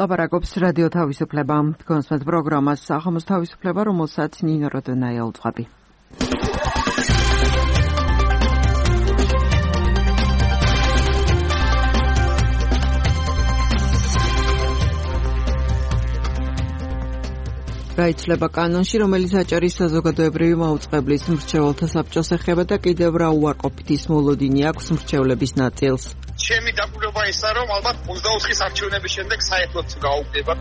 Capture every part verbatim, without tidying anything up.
ლაპარაკობს რადიო თავისუფლება. თქვენს პროგრამას სახელმწიფო თავისუფლება, რომელსაც ნინო როდონაია უძღვები. გაიცლება კანონში, რომელიც აჭარის საზოგადოებრივი მაუწყებლის მრჩეველთა საბჭოს ეხება და კიდევ რა უარყოფითის მოლოდინი აქვს მრჩევლების ნაწილს. ჩემი დაკვირვება ისაა, რომ ალბათ ოცდაოთხის არჩევნების შემდეგ საერთოდ გაუგდება.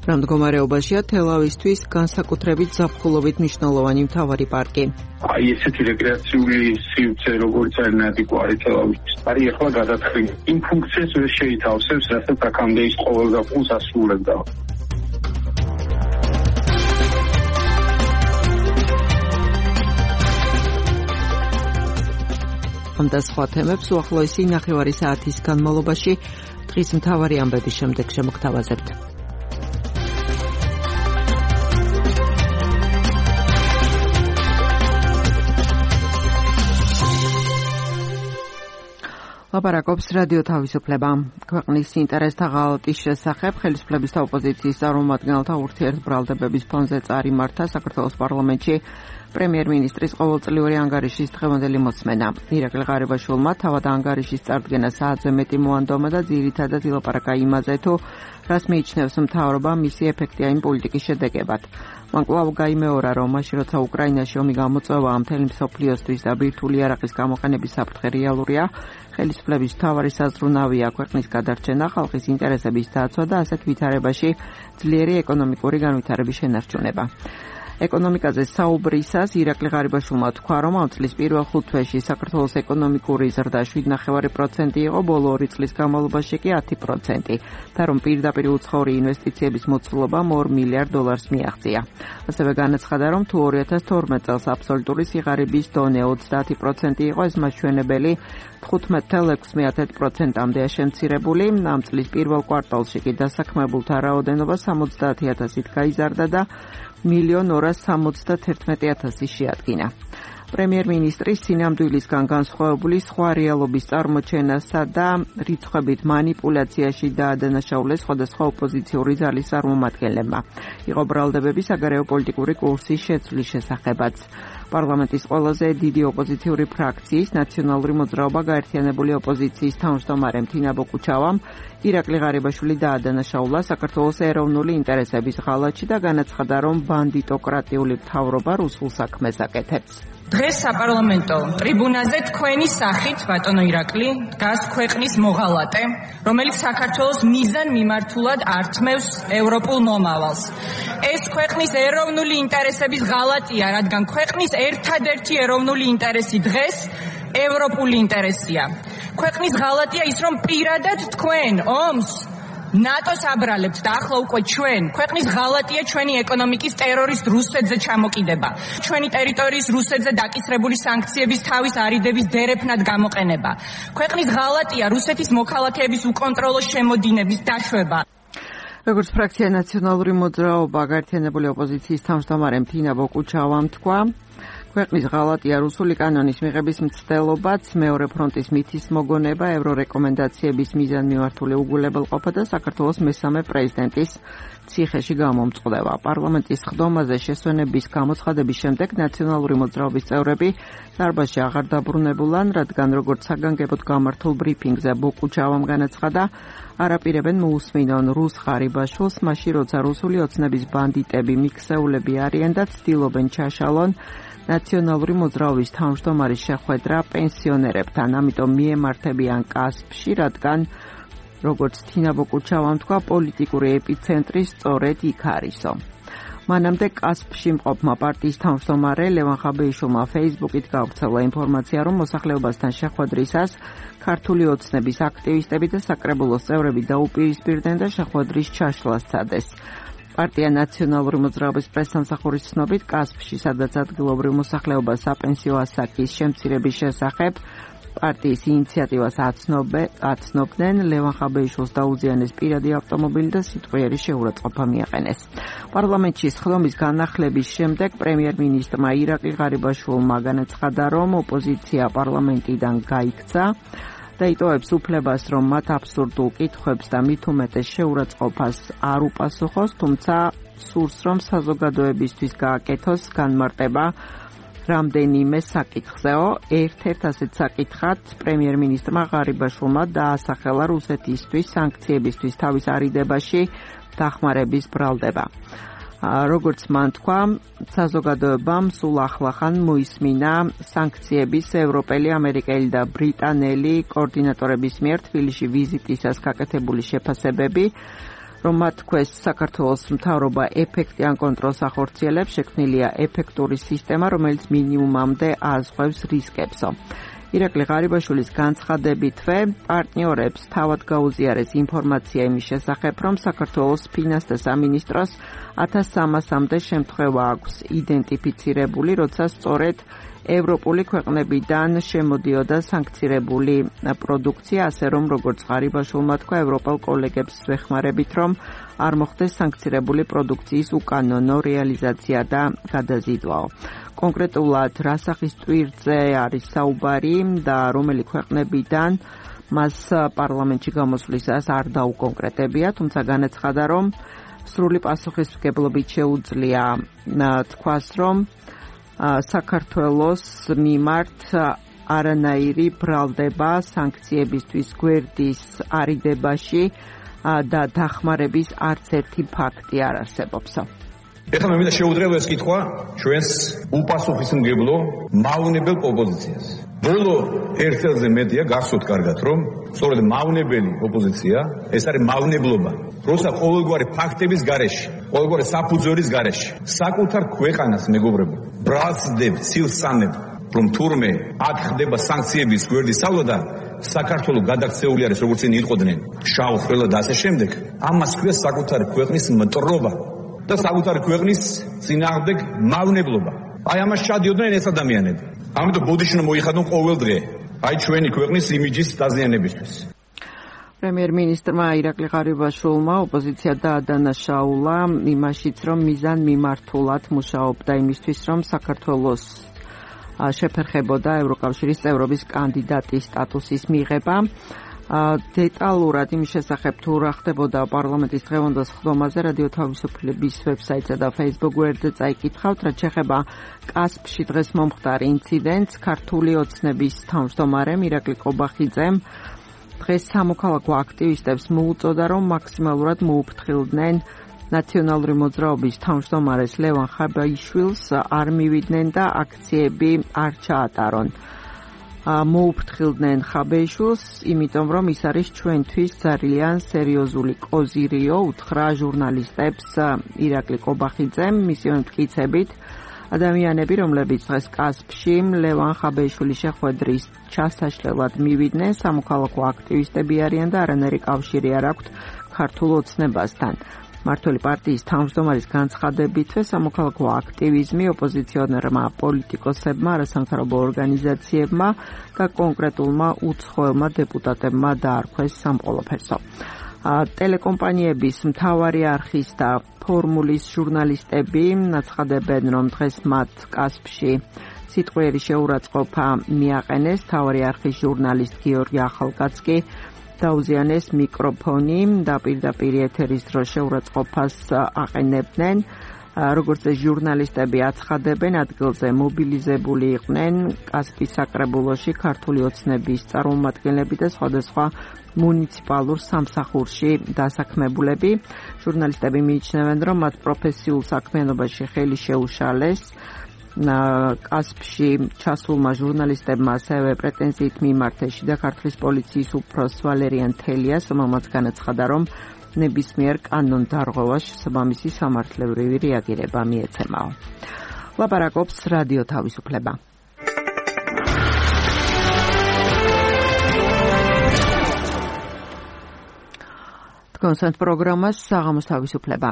რა მდგომარეობაშია თელავისთვის განსაკუთრებით ზაფხულობით მნიშვნელოვანი მთავარი პარკი. აი ესეთი რეკრეაციული სივრცე როგორც არნადი კვარი თელავის. არის ახლა გადაწყილი. იმ ფუნქციას ვერ შეითავსებს, რასაც აქამდე ის ყოველდღიურ ასრულებდა. ამ და სხვა თემებს უახლოესი ნახევარი საათის განმავლობაში დღის მთავარი ამბების შემდეგ შემოგთავაზებთ. ლაპარაკობს რადიო თავისუფლება. ქვეყნის ინტერესთა ღალატის შესახებ ხელისუფლების და ოპოზიციის წარმომადგენელთა ურთიერთბრალდებების ფონზე წარიმართა საქართველოს პარლამენტში პრემიერ-მინისტრის ყოველწლიური ანგარიშის დღევანდელი მოსმენა. ირაკლი ღარიბაშვილმა თავად ანგარიშის წარდგენა საათზე მეტი მოანდომა და ძირითადად ილაპარაკა იმაზე, თუ რას მიიჩნევს მთავრობა მისი ეფექტიანი პოლიტიკის შედეგებად. მან კვლავ გაიმეორა, რომ მაშინ როცა უკრაინაში ომი გამოწვევა მთელი მსოფლიოსთვის და ბირთვული არაყის გამოყენების საფრთხე რეალურია, ხელისუფლების მთავარი საზრუნავია ქვეყნის გადარჩენა, ხალხის ინტერესების დაცვა და ასეთ ვითარებაში ძლიერი ეკონომიკური განვითარების შენარჩუნება. ეკონომიკაზე საუბრისას ირაკლი ღარიბაშვილმა თქვა, რომ ამ წლის პირველ ხუთ თვეში საქართველოს ეკონომიკური ზრდა შვიდ ნახევარი პროცენტი იყო, ბოლო ორი წლის განმავლობაში კი ათი პროცენტი და რომ პირდაპირ უცხოური ინვესტიციების მოცულობამ ორ მილიარდ დოლარს მიაღწია. ასევე განაცხადა, რომ თუ ორი ათას თორმეტ წელს აბსოლუტური სიღარიბის დონე ოცდაათი პროცენტი იყო, ეს მაჩვენებელი თხუთმეტ ცხრამეტ ექვსი პროცენტამდეა შემცირებული. ამ წლის პირველ კვარტალში კი დასაქმებულთა რაოდენობა სამოცდაათი ათასით გაიზარდა და მილიონ ორას სამოცდათერთმეტი ათასი შეადგინა. პრემიერ-მინისტრის სინამდვილისგან განსხვავებული სხვა რეალობის წარმოჩენასა და რიცხვებით манипуляციაში დაადანაშაულეს სხვადასხვა ოპოზიციური ძალის წარმომადგენლებმა. იყო ბრალდებები საგარეო პოლიტიკური კურსის შეცვლის შესახებაც. პარლამენტის ყველაზე დიდი ოპოზიციური ფრაქციის ნაციონალური მოძრაობა გაერთიანებული ოპოზიციის თავმჯდომარემ თინა ბოկუჩავამ ირაკლი ღარიბაშვილი დაადანაშაულა საქართველოს ეროვნული ინტერესების ღალატში და განაცხადა, რომ ბანდიტოკრატიული მთავრობა რუსულ საქმეს აკეთებს. დღეს საპარლამენტო ტრიბუნაზე თქვენი სახით, ბატონო ირაკლი, დგას ქვეყნის მოღალატე, რომელიც საქართველოს მიზან მიმართულად ართმევს ევროპულ მომავალს. ეს ქვეყნის ეროვნული ინტერესების ღალატია, რადგან ქვეყნის ერთადერთი ეროვნული ინტერესი დღეს ევროპული ინტერესია. ქვეყნის ღალატია ის, რომ პირადად თქვენ ომს ნატოს აბრალებთ და ახლა უკვე ჩვენ ქვეყნის ღალატია ჩვენი ეკონომიკის ტერორისტ რუსეთზე ჩამოკიდება. ჩვენი ტერიტორიის რუსეთზე დაკისრებული სანქციების თავის არიდების დერეფნად გამოყენება. ქვეყნის ღალატია რუსეთის მოქალაქეების უკონტროლო შემოდინების დაშვება. როგორც ფრაქცია ნაციონალური მოძრაობა გაერთიანებული ოპოზიციის თავმჯდომარემ თინა ბოკუჩავამ თქვა, ქვეყნის ღალატია რუსული კანონის მიღების მცდელობაც, მეორე ფრონტის მითის მოგონება, ევრორეკომენდაციების მიზანმიმართული უგულებელყოფა და საქართველოს მესამე პრეზიდენტის ციხეში გამომწყდება. პარლამენტის ხდომაზე შესვენების გამოცხადების შემდეგ ნაციონალური მოძრაობის წევრები დარბაზში აღარ დაბრუნებულან, რადგან როგორც საგანგებოდ გამართულ ბრიფინგზე ბოკუჩავამ განაცხადა, არაპირებენ მოусმინონ რუს ღარიბაშვილს, მაშინ როცა რუსული ოცნების ბანდიტები მიქსეულები არიან და ცდილობენ ჩაშალონ ნაციონალური მოძრაობის თავმჯდომარის შეხვედრა პენსიონერებთან, ამიტომ მიემართებიან კასპში, რადგან როგორც თინა ბოკუჩავამ თქვა, პოლიტიკური ეპიცენტრი სწორედ იქ არისო. მანამდე კასპში მყოფმა პარტიის თავმჯდომარე ლევან ხაბეიშვილმა ფეისბუქით გავრცელა ინფორმაცია, რომ მოსახლეობასთან შეხვედრისას ქართული ოცნების აქტივისტები და საკრებულოს წევრები დაუპირისპირდნენ და შეხვედრის ჩაშლას სცადეს. პარტია ნაციონალური მოძრაობის პრესსამსახურის ცნობით, კასპში, სადაც ადგილობრივ მოსახლეობას საპენსიო ასაკის შემცირების შესახებ პარტიის ინიციატივას აცნობდნენ, ლევან ხაბეიშვილს დაუზიანეს პირადი ავტომობილი და სიტყვიერი შეურაცხყოფა მიაყენეს. პარლამენტში სხდომის განახლების შემდეგ პრემიერ-მინისტრმა ირაკლი ღარიბაშვილმა განაცხადა, რომ ოპოზიცია პარლამენტიდან გაიქცა და იტოვებს უფლებას, რომ მათ აბსურდულ კითხვებს და მით უმეტეს შეურაცხყოფას არ უპასუხოს, თუმცა სურს, რომ საზოგადოებისთვის გააკეთოს განმარტება რამდენიმე საკითხზეო. ერთ-ერთ ასეთ საკითხად პრემიერ-მინისტრმა ღარიბაშვილმა დაასახელა რუსეთისთვის სანქციებისთვის თავის არიდებაში დახმარების ბრალდება. როგორც მან თქვა, საზოგადოებამ სულ ახლახან მოისმინა სანქციების ევროპელი, ამერიკელი და ბრიტანელი კოორდინატორების მიერ თბილისში ვიზიტისას გაკეთებული შეფასებები, რომ მათ თქვეს საქართველოს მთავრობა ეფექტიან კონტროლს ახორციელებს, შექმნილია ეფექტური სისტემა, რომელიც მინიმუმამდე ააზღვევს რისკებსო. ირაკლი ღარიბაშვილის განცხადებითვე პარტნიორებს თავად გაუზიარეს ინფორმაცია იმის შესახებ, რომ საქართველოს ფინანსთა სამინისტროს ათას სამასამდე შემთხვევა აქვს იდენტიფიცირებული, როცა სწორედ ევროპული ქვეყნებიდან შემოდიოდა სანქცირებული პროდუქცია, ასე რომ როგორც ღარიბაშვილმა თქვა, ევროპელ კოლეგებს ვეხმარებით, რომ არ მოხდეს სანქცირებული პროდუქციის უკანონო რეალიზაცია და გადაზიდვაო. კონკრეტულად რა სახის ტვირთზე არის საუბარი და რომელი ქვეყნებიდან მას პარლამენტში გამოსვლისას არ დაუკონკრეტებია, თუმცა განაცხადა, რომ სრული პასუხისმგებლობით შეუძლია თქვას, რომ საქართველოს მიმართ არანაირი ბრალდება სანქციებისთვის გვერდის არიდებაში და დახმარების არც ერთი ფაქტი არ არსებობს. ეხლა მე მინდა შეუდრევ ეს კითხვა ჩვენს უპასუხისმგებლო მავნებელ ოპოზიციას. ბოლო ერთ წელზე მეტია გახსოვთ კარგად, რომ სწორედ მავნებელი ოპოზიცია, ეს არის მავნებლობა, როცა ყოველგვარი ფაქტების გარეშე, ყოველგვარი საფუძვლის გარეშე, საკუთარ ქვეყანას მეგობრებო, ბრალსდებ, ცილსანებ, რომ თურმე აქ ხდება სანქციების გვერდის სწავლა და საქართველოს გადაქცეული არის, როგორც წინ იყვნენ, შავ ხვრელა და ასე შემდეგ, ამას ქვია საკუთარი ქვეყნის მტრობა და საკუთარი ქვეყნის წინააღმდეგ მავნებლობა. აი ამას ჩადიოდნენ ეს ადამიანები. ამიტომ ბოდიშნო მოიხადონ ყოველ დღე აი ჩვენი ქვეყნის იმიჯის დაზიანებისთვის. პრემიერ-მინისტრმა ირაკლი ღარიბაშვილმა ოპოზიცია დაადანაშაულა იმაშიც, რომ მიზან მიმართულად მუშაობდა იმისთვის, რომ საქართველოს შეფერხებოდა ევროკავშირის წევრობის კანდიდატის სტატუსის მიღება. დეტალურად იმის შესახებ თუ რა ხდებოდა პარლამენტის დღევანდელ სხდომაზე რადიო თავისუფლების ვებსაიტსა და Facebook გვერდზე წაიკითხავთ, რაც შეეხება კასპში დღეს მომხდარ ინციდენტს. ქართული ოცნების თავმჯდომარემ ირაკლი ყობახიძემ დღეს სამოქალაქო აქტივისტებს მოუწოდა, რომ მაქსიმალურად მოუფრთხილდნენ ნაციონალური მოძრაობის თავმჯდომარეს ლევან ხაბეიშვილს, არ მივიდნენ და აქციები არ ჩაატარონ. მოუფრთხილდნენ ხაბეიშვილს, იმიტომ რომ ის არის ჩვენთვის ძალიან სერიოზული კოზირიო, უთხრა ჟურნალისტებს ირაკლი ყობახიძემ, მისი მტკიცებით ადამიანები, რომლებიც დღეს კასპში ლევან ხაბეიშვილის შეხვედრის ჩასაშლელად მივიდნენ, სამოქალაქო აქტივისტები არიან და არანაირი კავშირი არ აქვთ ქართულ ოცნებასთან. მართველი პარტიის თავმჯდომარის განცხადებითვე სამოქალაქო აქტივიზმი ოპოზიციონერმა პოლიტიკოსებმა, არასამთავრობო ორგანიზაციებმა და კონკრეტულმა უცხოელმა დეპუტატებმა დაარქვეს სამყოლოფერსო. ტელეკომპანიების მთავარი არხის და ფორმულის ჟურნალისტები აცხადებენ, რომ დღეს მათ კასპში სიტყვიერი შეურაცხყოფა მიაყენეს. მთავარი არხის ჟურნალისტ გიორგი ახალკაცკი დაუზიანეს მიკროფონი და პირდაპირ ეთერის დროს შეურაცხყოფას აყენებდნენ. როგორც ჟურნალისტები აცხადებენ, ადგილზე მობილიზებული იყვნენ კასპის საკრებულოში ქართული ოცნების წარმომადგენლები და სხვადასხვა მუნიციპალურ სამსახურში დასაქმებულები. ჟურნალისტები მიიჩნევენ, რომ მათ პროფესიულ საქმიანობაში ხელი შეუშალეს. კასპში ჩასულმა ჟურნალისტებმა ასევე პრეტენზიით მიმართეს შიდა ქართლის პოლიციის უფროს ვალერიან თელიას, რომელმაც განაცხადა, რომ ნებისმიერ კანონდარღვევას შესაბამისი სამართლებრივი რეაგირება მიეცემაო. ლაპარაკობს რადიო თავისუფლება. თქვენს პროგრამას საღამოს თავისუფლება.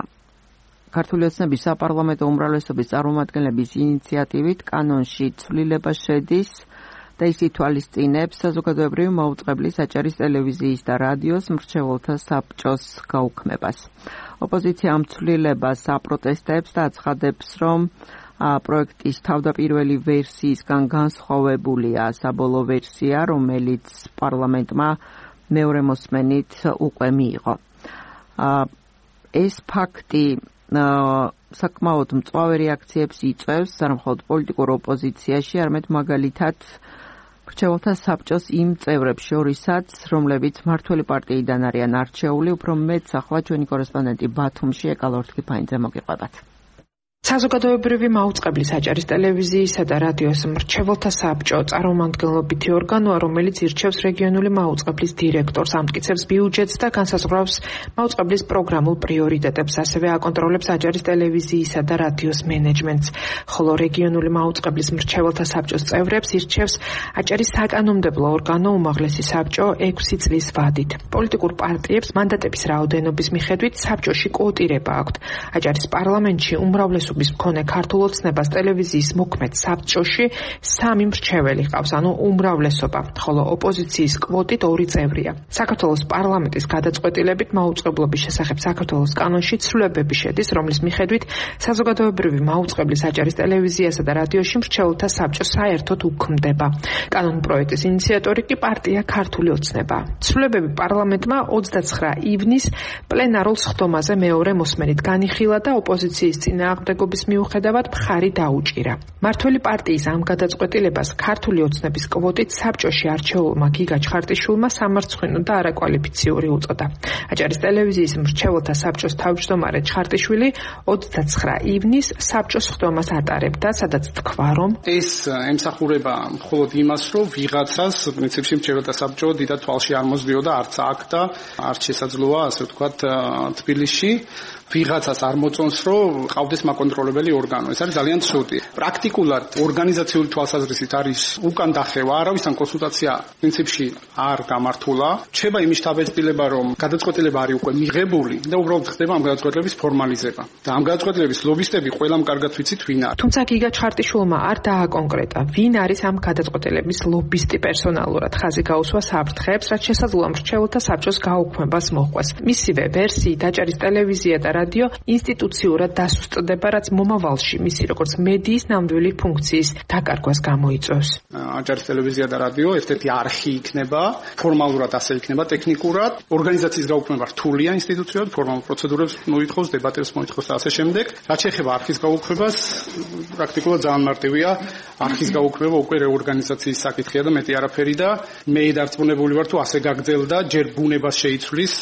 ქართული ოცნების საპარლამენტო უმრავლესობის წარმომადგენლების ინიციატივით კანონში ცვლილება შედის და ის ითვალისწინებს საზოგადოებრივი მაუწყებლის აჭარის ტელევიზიის და რადიოს მრჩეველთა საბჭოს გაუქმებას. ოპოზიცია ამ ცვლილებას აპროტესტებს და აცხადებს, რომ პროექტის თავდაპირველი ვერსიისგან განსხვავებულია საბოლოო ვერსია, რომელიც პარლამენტმა მეორე მოსმენით უკვე მიიღო. ეს ფაქტი საკმაოდ მწვავე რეაქციებს იწვევს არა მხოლოდ პოლიტიკურ ოპოზიციაში, არამედ მაგალითად მრჩეველთა საბჭოს იმ წევრებს შორისაც, რომლებიც მმართველი პარტიიდან არიან არჩეული, უფრო მეტ ახლა ჩვენი კორესპონდენტი ბათუმში ეკალ ორთქიფანიძე მოგიყვებათ. საზოგადოებრივი მაუწყებლის აჭარის ტელევიზიისა და რადიოს მრჩეველთა საბჭო წარმომადგენლობითი ორგანოა, რომელიც ირჩევს რეგიონული მაუწყებლის დირექტორს, ამტკიცებს ბიუჯეტს და განსაზღვრავს მაუწყებლის პროგრამულ პრიორიტეტებს, ასევე აკონტროლებს აჭარის ტელევიზიისა და რადიოს მენეჯმენტს, ხოლო რეგიონული მაუწყებლის მრჩეველთა საბჭოს წევრებს ირჩევს აჭარის საკანონმდებლო ორგანო უმაღლესი საბჭო ექვსი წლის ვადით. პოლიტიკურ პარტიებს მანდატების რაოდენობის მიხედვით საბჭოში კვოტირება აქვთ. აჭარის პარლამენტში უმრავლესობა მქონე ქართულ ოცნებას ტელევიზიის მოქმედ საბჭოში სამი მრჩეველი ყავს, ანუ უმრავლესობა, ხოლო ოპოზიციის კვოტით ორი წევრია. საქართველოს პარლამენტის გადაწყვეტილებით მაუწყებლობის შესახებ საქართველოს კანონში ცვლილებები შედის, რომლის მიხედვით საზოგადოებრივი მაუწყებლის აჭარის ტელევიზიასა და რადიოში მრჩეველთა საბჭო საერთოდ უქმდება. კანონპროექტის ინიციატორი კი პარტია ქართული ოცნება. ცვლილებები პარლამენტმა ოცდაცხრა ივნისს პლენარულ სხდომაზე მეორე მოსმენით განიხილა და ოპოზიციის წინააღმდეგ მიუხედავად მხარი დაუჭირა. მმართველი პარტიის ამ გადაწყვეტილებას ქართული ოცნების კვოტით საბჭოში არჩეულმა გიგა ჩხარტიშვილმა სამარცხვინო და არაკვალიფიციური უწოდა. აჭარის ტელევიზიის მრჩეველთა საბჭოს თავმჯდომარე ჩხარტიშვილი ოცდაცხრა ივნისს საბჭოს სხდომას ატარებდა, სადაც თქვა, რომ ეს ემსახურება მხოლოდ იმას, რომ ვიღაცას პრინციპში მრჩეველთა საბჭო დიდად თვალში არ მოსდიოდა, არც აქ და არც შესაძლოა, ასე ვთქვათ, თბილისში ვიღაცას არ მოწონს, რომ ყავდეს მაკონტროლებელი ორგანო. ეს არის ძალიან ცუდი. პრაქტიკულად ორგანიზაციული თვალსაზრისით არის უკან დახევა, არავისთან კონსულტაცია პრინციპში არ გამართულა. რჩება იმის დაბეჭდილება, რომ გადაწყვეტილება არის უკვე მიღებული და უბრალოდ ხდება ამ გადაწყვეტილების ფორმალიზება. და ამ გადაწყვეტილების ლობისტები ყველამ კარგად ვიცით ვინ არის. თუმცა გიგა ჩხარტიშვილმა არ დააკონკრეტა, ვინ არის ამ გადაწყვეტილების ლობისტი პერსონალურად. ხაზი გაუსვა საფრთხეებს, რაც შესაძლოა მრჩეველთა საბჭოს გაუქმებას მოჰყვეს. მისივე ვერსიით აჭარის ტელევიზია და რადიო ინსტიტუციურად დასუსტდება, რაც მომავალში მისი როგორც მედიის ნამდვილი ფუნქციის დაკარგვას გამოიწვევს. აჭარის ტელევიზია და რადიო ერთ-ერთი არხი იქნება, ფორმალურად ასე იქნება ტექნიკურად. ორგანიზაციის გაუქმება რთულია ინსტიტუციად, ფორმალურ პროცედურებს მოითხოვს, დებატებს მოითხოვს და ასე შემდეგ. რაც შეეხება არხის გაუქმებას, პრაქტიკულად ძალიან მარტივია. არხის გაუქმება უკვე რეორგანიზაციის საკითხია და მეტი არაფერი და მე დარწმუნებული ვარ, თუ ასე გაგრძელდა, ჯერ ბუნებას შეიცვლის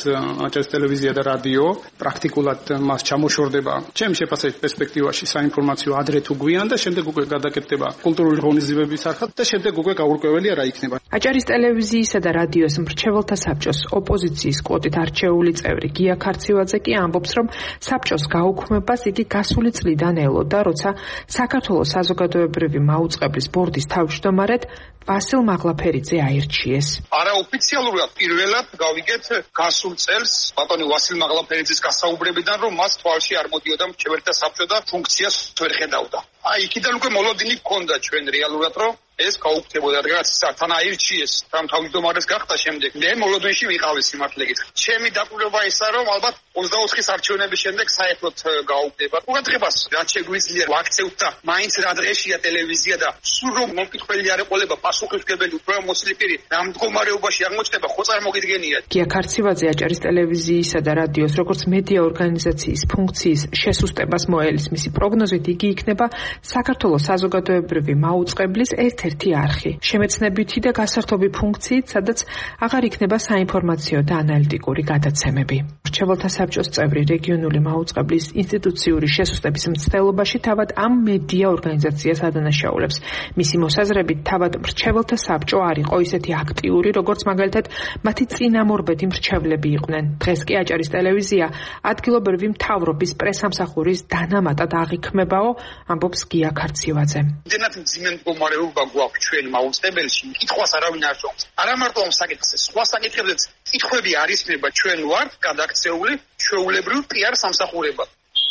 აჭარის ტელევიზია და რადიო, პრაქტიკულად მას ჩამოშორდება ჩემი შეფასებით პერსპექტივაში საინფორმაციო ადრე თუ გვიან და შემდეგ უკვე გადაკეთდება კულტურული ღონისძიებების არხად და შემდეგ უკვე გაურკვეველი რა იქნება. აჭარის ტელევიზიისა და რადიოს მრჩეველთა საბჭოს ოპოზიციის კვოტით არჩეული წევრი გია ქარცივაძე კი ამბობს, რომ საბჭოს გაუქმებას იგი გასული წლიდან ელოდა, როცა საქართველოს საზოგადოებრივი მაუწყებლის ბორდის თავმჯდომარედ ვასილ მაღლაფერიძე აირჩიეს. არაოფიციალურად პირველად გავიგეთ გასულ წელს ბატონი ვასილ მაღლაფერიძის გასაუბრებიდან, რომ მას თვალში არ მოდიოდა მრჩეველთა საბჭო და ფუნქციას ვერ ხედავდა. აი, იქიდან უკვე მოლოდინი გქონდა ჩვენ რეალურად, რომ ეს გაუქმდებოდა, რაც თან აირჩიეს, თან თავმჯდომარეს გახდა შემდეგ. მე მოლოდინში ვიყავი სიმართლე გითხრათ. ჩემი დაკვირვება ისაა, რომ ალბათ ოცდაოთხის არჩევნების შემდეგ საერთოდ გაუქმდება. ყურადღებას რაც შეგვიძლია ვაქცევთ და მაინც რა დღეშია ტელევიზია და სულ რომ მომკითხველი არ ეყოლება პასუხისმგებელი უფრო მოსილი პირი რა მდგომარეობაში აღმოჩნდება, ხო წარმოგიდგენიათ. გია ქარცივაძე აჭარის ტელევიზიისა და რადიოს როგორც მედია ორგანიზაციის ფუნქციის შესუსტებას მოელის. მისი პროგნოზით იგი იქნება საქართველოს საზოგადოებრივი მაუწყებლის ერთ-ერთი არხი, შემეცნებითი და გასართობი ფუნქციით, სადაც აღარ იქნება საინფორმაციო და ანალიტიკური გადაცემები. მრჩეველთა საბჭოს წევრი რეგიონული მაუწყებლის ინსტიტუციური შესუსტების მცდელობაში თავად ამ მედია ორგანიზაციას ადანაშაულებს. მისი მოსაზრებით თავად მრჩეველთა საბჭო არ იყო ისეთი აქტიური, როგორც მაგალითად მათი წინამორბედი მრჩევლები იყვნენ. დღეს კი აჭარის ტელევიზია ადგილობრივი მთავრობის პრესამსახურის დანამატად აღიქმებაო, ამბობს გია ქარცივაძე. იმდენად მძიმე მდგომარეობა გვაქვს ჩვენ მაუწყებელში, კითხვას არავინ არ სვამს. არა მარტო ამ საკითხზე, სხვა საკითხებზეც კითხვები არ ისმება, ჩვენ ვართ გადაქცეული ჩვეულებრივ პიარ სამსახურებად.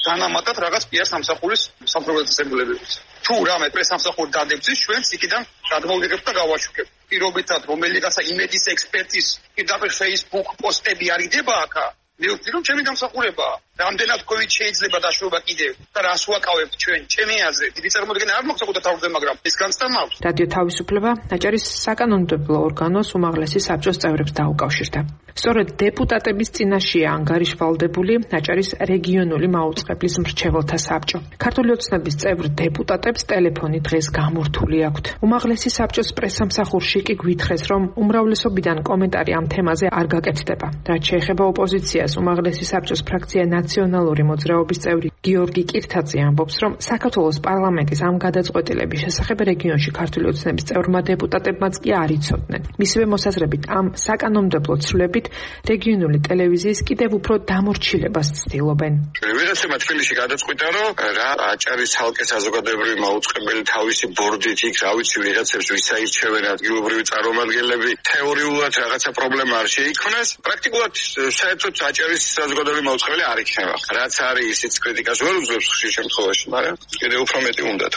განამატათ რაღაც პიარ სამსახურის სამფრობელოებებს. თუ რამე პრესამსახური დადებზის, ჩვენც იქიდან გადმოვიღებთ და გავაშუქებთ. პირობითად რომელიღაცა იმედის ექსპერტის პირდაპირ Facebook პოსტები არიდება აქ. მე ვთქვი რომ ჩემი დამსახურებაა. რამდენად COVID შეიძლება დაშვება კიდევ და რას ვაკავებთ ჩვენ ჩემი აზრით. დიდი წარმოდგენა არ მაქვს საკუთარ თავზე, მაგრამ ეს განცდა მაქვს. რადიო თავისუფლება აჭარის საკანონმდებლო ორგანოს უმაღლესი საბჭოს წევრებს დაუკავშირდა. სწორედ დეპუტატების წინაშეა ანგარიშვალდებული აჭარის რეგიონული მაუწყებლის მრჩეველთა საბჭო. ქართული ოცნების წევრ დეპუტატებს ტელეფონი დღეს გამორთული აქვთ. უმაღლესი საბჭოს პრესამსახურში კი გვითხრეს, რომ უმრავლესობიდან კომენტარი ამ თემაზე არ გაკეთდება. რაც შეეხება ოპოზიციას, უმაღლესი საბჭოს ფრაქცია ნაციონალური მოძრაობის წევრი გიორგი კირთაძე ამბობს, რომ საქართველოს პარლამენტის ამ გადაწყვეტილების შესახებ რეგიონში ქართული ოცნების წევრმა დეპუტატებმაც კი არ იცოდნენ. მისივე მოსაზრებით, ამ საკანონმდებლო ცვლილებით რეგიონული ტელევიზიის კიდევ უფრო დამორჩილებას ცდილობენ. ვიღაცებმა თბილისში გადაწყვიტა, რომ რა აჭარის ცალკე საზოგადოებრივი მაუწყებელი თავისი ბორდით იქ, რა ვიცი, ვიღაცებს ვისაირჩევენ ადგილობრივი წარმომადგენლები, თეორიულად რაღაცა პრობლემა არ შეიქმნას. პრაქტიკულად საერთოდ აჭარის საზოგადოებრივი მაუწყებელი არ იქნება. რაც არის, ისიც კრიტიკას ვერ უძლებს ხშირ შემთხვევაში, მაგრამ კიდევ უფრო მეტი უნდათ.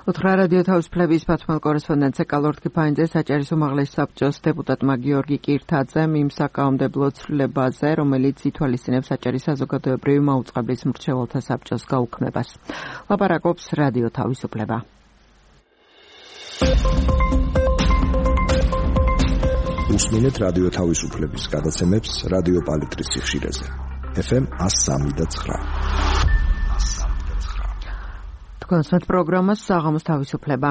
უთხრა რადიო თავისუფლების პათმელ კორესპონდენტზე კალორდ კიფაინძეს აჭარის უმაღლესი საბჭოს დეპუტატმა გიორგი კირთაძემ იმ საკანონმდებლო ცვლილებაზე, რომელიც ითვალისწინებს აჭარის საზოგადოებრივი მაუწყებლის მრჩეველთა საბჭოს გაუქმებას. ლაპარაკობს რადიო თავისუფლება. უსმინეთ რადიო თავისუფლების გადაცემებს რადიო პალიტრის სიხშირეზე. ეფ ემ one oh three point nine. კონსერტ პროგრამას საღამოს თავისუფლება.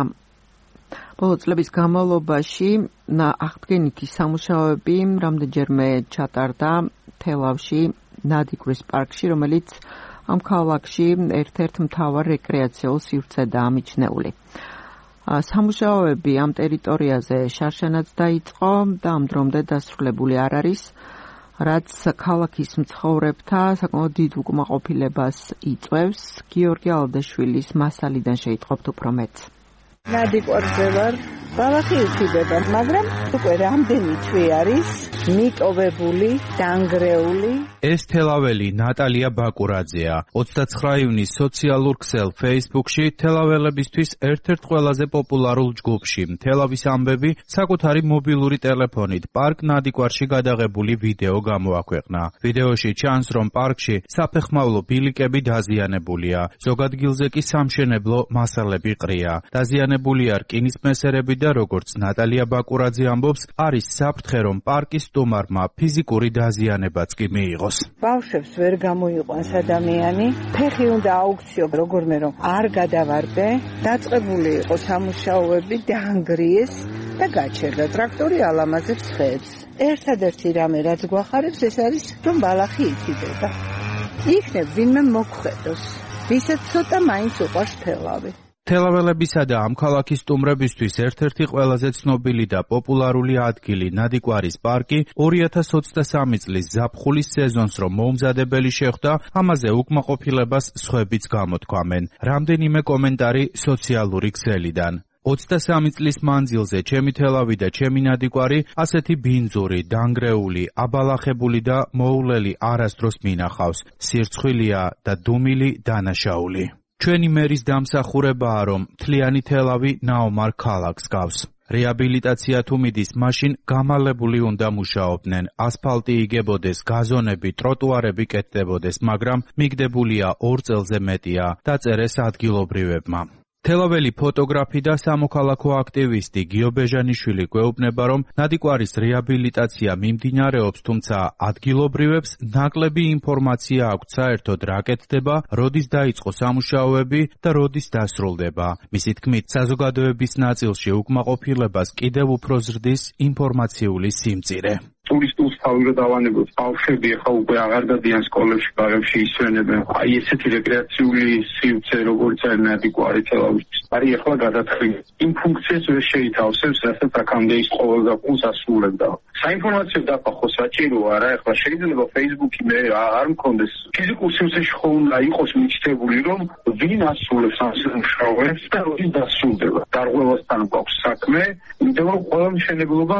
ბოლო წლების განმავლობაში აღდგენითი სამუშაოები რამდენჯერმე ჩატარდა თელავში, ნადიგვრის პარკში, რომელიც ამ ქალაქში ერთ-ერთ მთავარ რეკრეაციულ სივრცედაა მიჩნეული. სამუშაოები ამ ტერიტორიაზე შარშანაც დაიწყო და ამ დრომდე დასრულებული არ არის, რაც ქალაქის მცხოვრებთა საკმაოდ დიდ უკმაყოფილებას იწვევს. გიორგი ალდაშვილის მასალიდან შეიტყობთ უფრო მეტ. ნადიგვარზე ვარ, ბალახი უთიდება, მაგრამ უკვე რამდენი თვე არის მიტოვებული, დანგრეული. ეს თელაველი ნატალია ბაკურაძეა. ოცდაცხრა ივნის სოციალურ ქსელ Facebook-ში თელაველებისთვის ერთ-ერთ ყველაზე პოპულარულ ჯგუფში თელავის ამბები საკუთარი მობილური ტელეფონით პარკ ნადიგვარში გადაღებული ვიდეო გამოაქვეყნა. ვიდეოში ჩანს, რომ პარკში საფეხმავლო ბილიკები დაზიანებულია. ზოგ ადგილზე კი სამშენებლო მასალები ყრია. დაზიანებულია რკინის მესერები და როგორც ნატალია ბაკურაძე ამბობს, არის საფრთხე, რომ პარკის სტუმარმა ფიზიკური დაზიანებაც კი მიიღოს. ბავშვებს ვერ გამოიყვანს ადამიანი, ფეხი უნდა აუქციო, როგორმე რომ არ გადავარდე, დაწყებული იყო სამუშაოები, დაანგრიეს და გაჩერდა. ტრაქტორი ალამაზებს ხეებს. ერთადერთი რამე, რაც გვახარებს, ეს არის, რომ ბალახი ითიდება. იქნებ ვინმე მოგხედოს, ვისაც ცოტა მაინც უყვარს თელავი. თელაველებისა და ამ ქალაქის სტუმრებისთვის ერთ-ერთი ყველაზე ცნობილი და პოპულარული ადგილი ნადიგვარის პარკი ორი ათას ოცდასამი წლის ზაფხულის სეზონს რომ მოუმზადებელი შეხვდა, ამაზე უკმაყოფილებას სხვებიც გამოთქვამენ. რამდენიმე კომენტარი სოციალური ქსელიდან. ოცდასამი წლის მანძილზე ჩემი თელავი და ჩემი ნადიგვარი ასეთი ბინძური, დანგრეული, აბალახებული და მოულელი არასდროს მინახავს. სირცხვილია და დუმილი დანაშაული. ჩვენი მერის დამსახურებაა, რომ მთლიანი თელავი ნაომარ ქალაქს გავს. რეაბილიტაცია თუ მიდის, მაშინ გამალებული უნდა მუშაობდნენ, ასფალტი იგებოდეს, გაზონები, ტროტუარები კეთდებოდეს, მაგრამ მიგდებულია ორ წელზე მეტია, დაწერეს ადგილობრივებმა. თელაველი ფოტოგრაფი და სამოქალაქო აქტივისტი გიო ბეჟანიშვილი გვეუბნება, რომ ნადიგვარის რეაბილიტაცია მიმდინარეობს, თუმცა ადგილობრივებს ნაკლები ინფორმაცია აქვთ საერთოდ რა კეთდება, როდის დაიწყო სამუშაოები და როდის დასრულდება. მისი თქმით, საზოგადოების ნაწილში უკმაყოფილებას კიდევ უფრო ზრდის ინფორმაციული სიმწირე. ტურისტულს თავი დავანებოთ, ბავშვები ახლა უკვე აღარ დადიან სკოლებში, ბაღებში ისვენებენ. აი ესეთი რეკრეაციული სივრცე, როგორც არის ნადიგვარი თელავისთვის, არის ახლა გადათხილი. იმ ფუნქციას ვერ შეითავსებს, რასაც აქამდე ის ყოველდღიურად ასრულებდა. საინფორმაციო დაფახო საჭიროა რა, ახლა შეიძლება Facebook-ი მე არ მქონდეს. ფიზიკურ სივრცეში ხო უნდა იყოს მიჩნეული, რომ ვინ ასრულებს ამ სამუშაოებს და როდის დასრულდება. დარღვევასთან გვაქვს საქმე, იმიტომ რომ ყველა მშენებლობა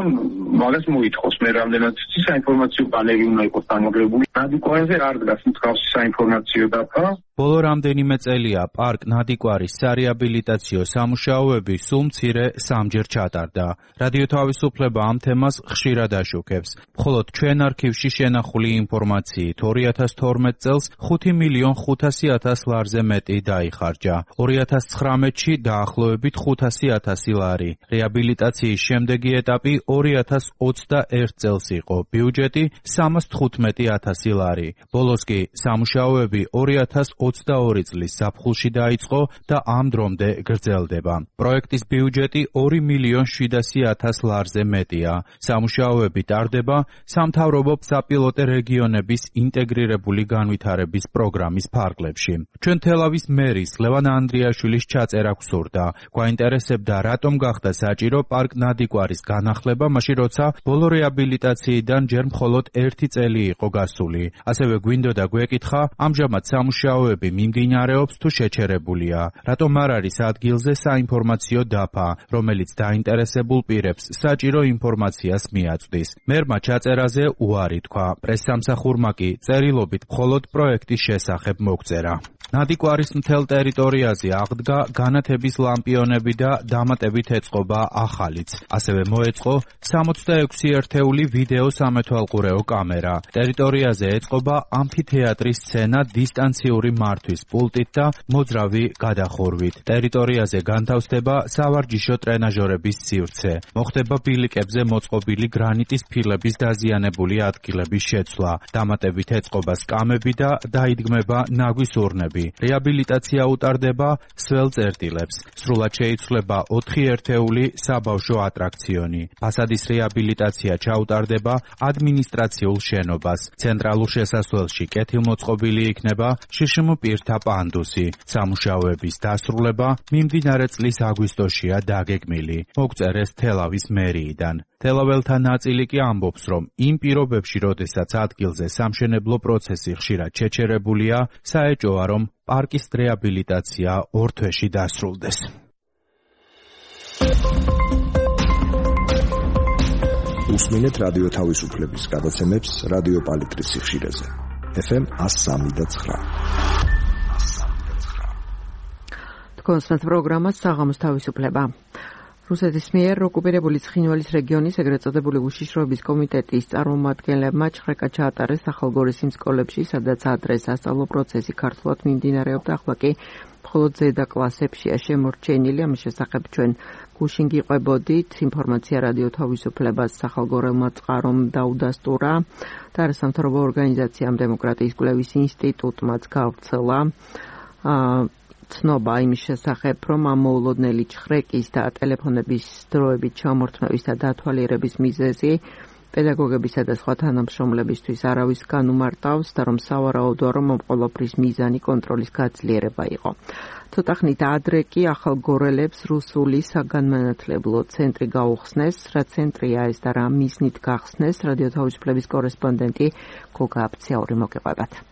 მაგას მოითხოვს. მე რამდენად საინფორმაციო პანელი უნდა იყოს დამაგრებული. ნადიგვარზე არ დგას მსგავსი საინფორმაციო დაფა. ბოლო რამდენიმე წელია პარკ ნადიკვარის სარეაბილიტაციო სამუშაოები სულ მცირე სამჯერ ჩატარდა. რადიო თავისუფლება ამ თემას ხშირად აშუქებს. მხოლოდ ჩვენ არქივში შენახული ინფორმაციით ორი ათას თორმეტ წელს ხუთი მილიონ ხუთასი ათას ლარზე მეტი დაიხარჯა. ორი ათას ცხრამეტში დაახლოებით ხუთასი ათასი ლარი. რეაბილიტაციის შემდეგი ეტაპი ორი ათას ოცდაერთ წელს იყო. ბიუჯეტი სამას თხუთმეტი ათასი ლარი. ბოლოს კი სამუშაოები ორი ათას ოცდაორი წლის ზაფხულში დაიწყო და ამ დრომდე გრძელდება. პროექტის ბიუჯეტი ორი მილიონ შვიდასი ათას ლარზე მეტია. სამუშაოები ტარდება სამთავრობო საპილოტე რეგიონების ინტეგრირებული განვითარების პროგრამის ფარგლებში. ჩვენ თელავის მერის ლევან ანდრიაშვილის ჩაწერა გვსურდა. გვაინტერესებდა, რატომ გახდა საჭირო პარკ ნადიკვარის განახლება, მაშინ როცა ბოლო რეაბილიტაციიდან ჯერ მხოლოდ ერთი წელი იყო გასული. ასევე გვინდოდა გვეკითხა, ამჟამად სამუშაოები მიმდინარეობს თუ შეჩერებულია. რატომ არ არის ადგილზე საინფორმაციო დაფა, რომელიც დაინტერესებულ პირებს საჭირო ინფორმაციას მიაწვდის. მერმა ჩაწერაზე უარი თქვა. პრესსამსახურმა კი წერილობით მხოლოდ პროექტის შესახებ მოგწერა. ნადიკვარის მთელ ტერიტორიაზე აღდგა განათების ლამპიონები და დამატებით ეწყობა ახალიც. ასევე მოეწყო სამოცდაექვსი ერთეული ვიდეო სამეთვალყურეო კამერა. ტერიტორიაზე ეწყობა ამფითეატრის სცენა დისტანციური მართვის პულტით და მოძრავი გადახურვით. ტერიტორიაზე განთავსდება სავარჯიშო ტრენაჟორების სივრცე. მოხდება ბილიკებზე მოწყობილი გრანიტის ფილების დაზიანებული ადგილების შეცვლა. დამატებით ეწყობა სკამები და დაიდგმება ნაგვის ურნები. რეაბილიტაცია უტარდება სველ წერტილებს. სრულად შეიცვლება ოთხი ერთეული საბავშვო ატრაქციონი. ფასადის რეაბილიტაცია ჩაუტარდება ადმინისტრაციულ შენობას. ცენტრალურ შესასვლელში კეთილმოწყობილი იქნება შშმ პირთა პანდუსი. სამუშაოების დასრულება მიმდინარე წლის აგვისტოშია დაგეგმილი. მოგწერეს თელავის მერიიდან. თელაველთა ნაწილი კი ამბობს, რომ იმ პირობებში, როდესაც ადგილზე სამშენებლო პროცესი ხშირად შეჩერებულია, საეჭოა, რომ პარკის რეაბილიტაცია ორ თვეში დასრულდეს. უსმინეთ რადიო თავისუფლების გადაცემებს რადიო პალიტრის სიხშირეზე. ეფ ემ one oh three point nine. თქვენს პროგრამას საღამოს თავისუფლება. რუსეთის მიერ ოკუპირებული ცხინვალის რეგიონის ეგრეთ წოდებული უშიშროების კომიტეტის წარმომადგენლებმა ჩხრეკა ჩაატარეს ახალგორის იმ სკოლებში, სადაც ადრე სასწავლო პროცესი ქართულად მიმდინარეობდა, ახლა კი მხოლოდ ზედა კლასებშია შემორჩენილი. ამის შესახებ ჩვენ გუშინ გიყვებოდით. ინფორმაცია რადიო თავისუფლებას სახალგორელმა წყარომ დაუდასტურა და არასამთავრობო ორგანიზაციამ დემოკრატიის კვლევის ინსტიტუტმაც გავრცელა ცნობა იმის შესახებ, რომ ამ მოულოდნელი ჩხრეკის და ტელეფონების დროებით ჩამორთმევის და დათვალიერების მიზეზი პედაგოგებისა და სხვა თანამშრომლებისთვის არავის განუმარტავს და რომ სავარაუდოა, რომ ამ ყველაფრის მიზანი კონტროლის გაძლიერება იყო. ცოტა ხნით ადრე კი ახალგორელებს რუსული საგანმანათლებლო ცენტრი გაუხსნეს. რა ცენტრია ეს და რა მიზნით გახსნეს, რადიო თავისუფლების კორესპონდენტი გოგა აფციაური მოგეყვებათ.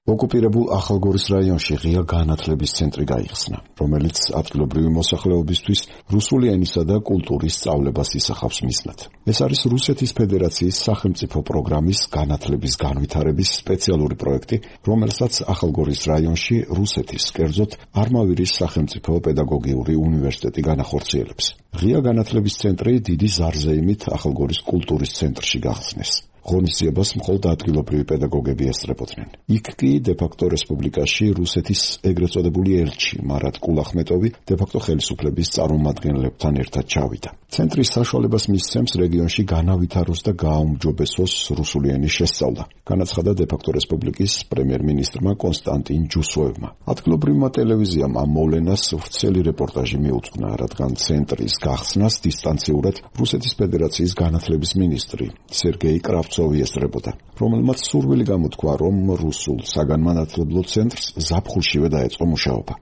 ოკუპირებულ ახალგორის რაიონში ღია განათლების ცენტრი გაიხსნა, რომელიც ადგილობრივი მოსახლეობისთვის რუსული ენისა და კულტურის სწავლებას ისახავს მიზნად. ეს არის რუსეთის ფედერაციის სახელმწიფო პროგრამის განათლების განვითარების სპეციალური პროექტი, რომელსაც ახალგორის რაიონში რუსეთის, კერძოდ არმავირის სახელმწიფო პედაგოგიური უნივერსიტეტი განახორციელებს. ღია განათლების ცენტრი დიდი ზარზეიმით ახალგორის კულტურის ცენტრში გახსნეს. ღონისძიებას მხოლოდ ადგილობრივი პედაგოგები ესწრებოდნენ. იქ კი დე-ფაქტო რესპუბლიკაში რუსეთის ეგრეთ წოდებული ელჩი მარატ კულახმეტოვი დე-ფაქტო ხელისუფლების წარმომადგენლებთან ერთად ჩავიდა. ცენტრის საშუალებას მისცემს რეგიონში განავითაროს და გააუმჯობესოს რუსული ენის შესწავლა, განაცხადა დე-ფაქტო რესპუბლიკის პრემიერ-მინისტრმა კონსტანტინ ჯუსოევმა. ადგილობრივმა ტელევიზიამ ამ მოვლენას ვრცელი რეპორტაჟი მიუძღვნა, რადგან ცენტრის გახსნას დისტანციურად რუსეთის ფედერაციის განათლების მინისტრი სერგეი კრავცოვი ესწრებოდა, რომელმაც სურვილი გამოთქვა, რომ რუსულ საგანმანათლებლო ცენტრს ზაფხულშივე დაეწყო მუშაობა.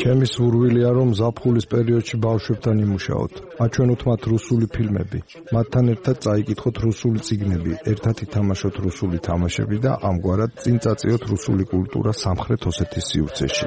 ჩემი სურვილია, რომ ზაფხულის პერიოდში ბავშვებთან იმუშაოთ, აჩვენოთ მათ რუსული ფილმები, მათთან ერთად წაიკითხოთ რუსული წიგნები, ერთად ითამაშოთ რუსული თამაშები და ამგვარად წინ წაწიოთ რუსული კულტურა სამხრეთ ოსეთის სივრცეში.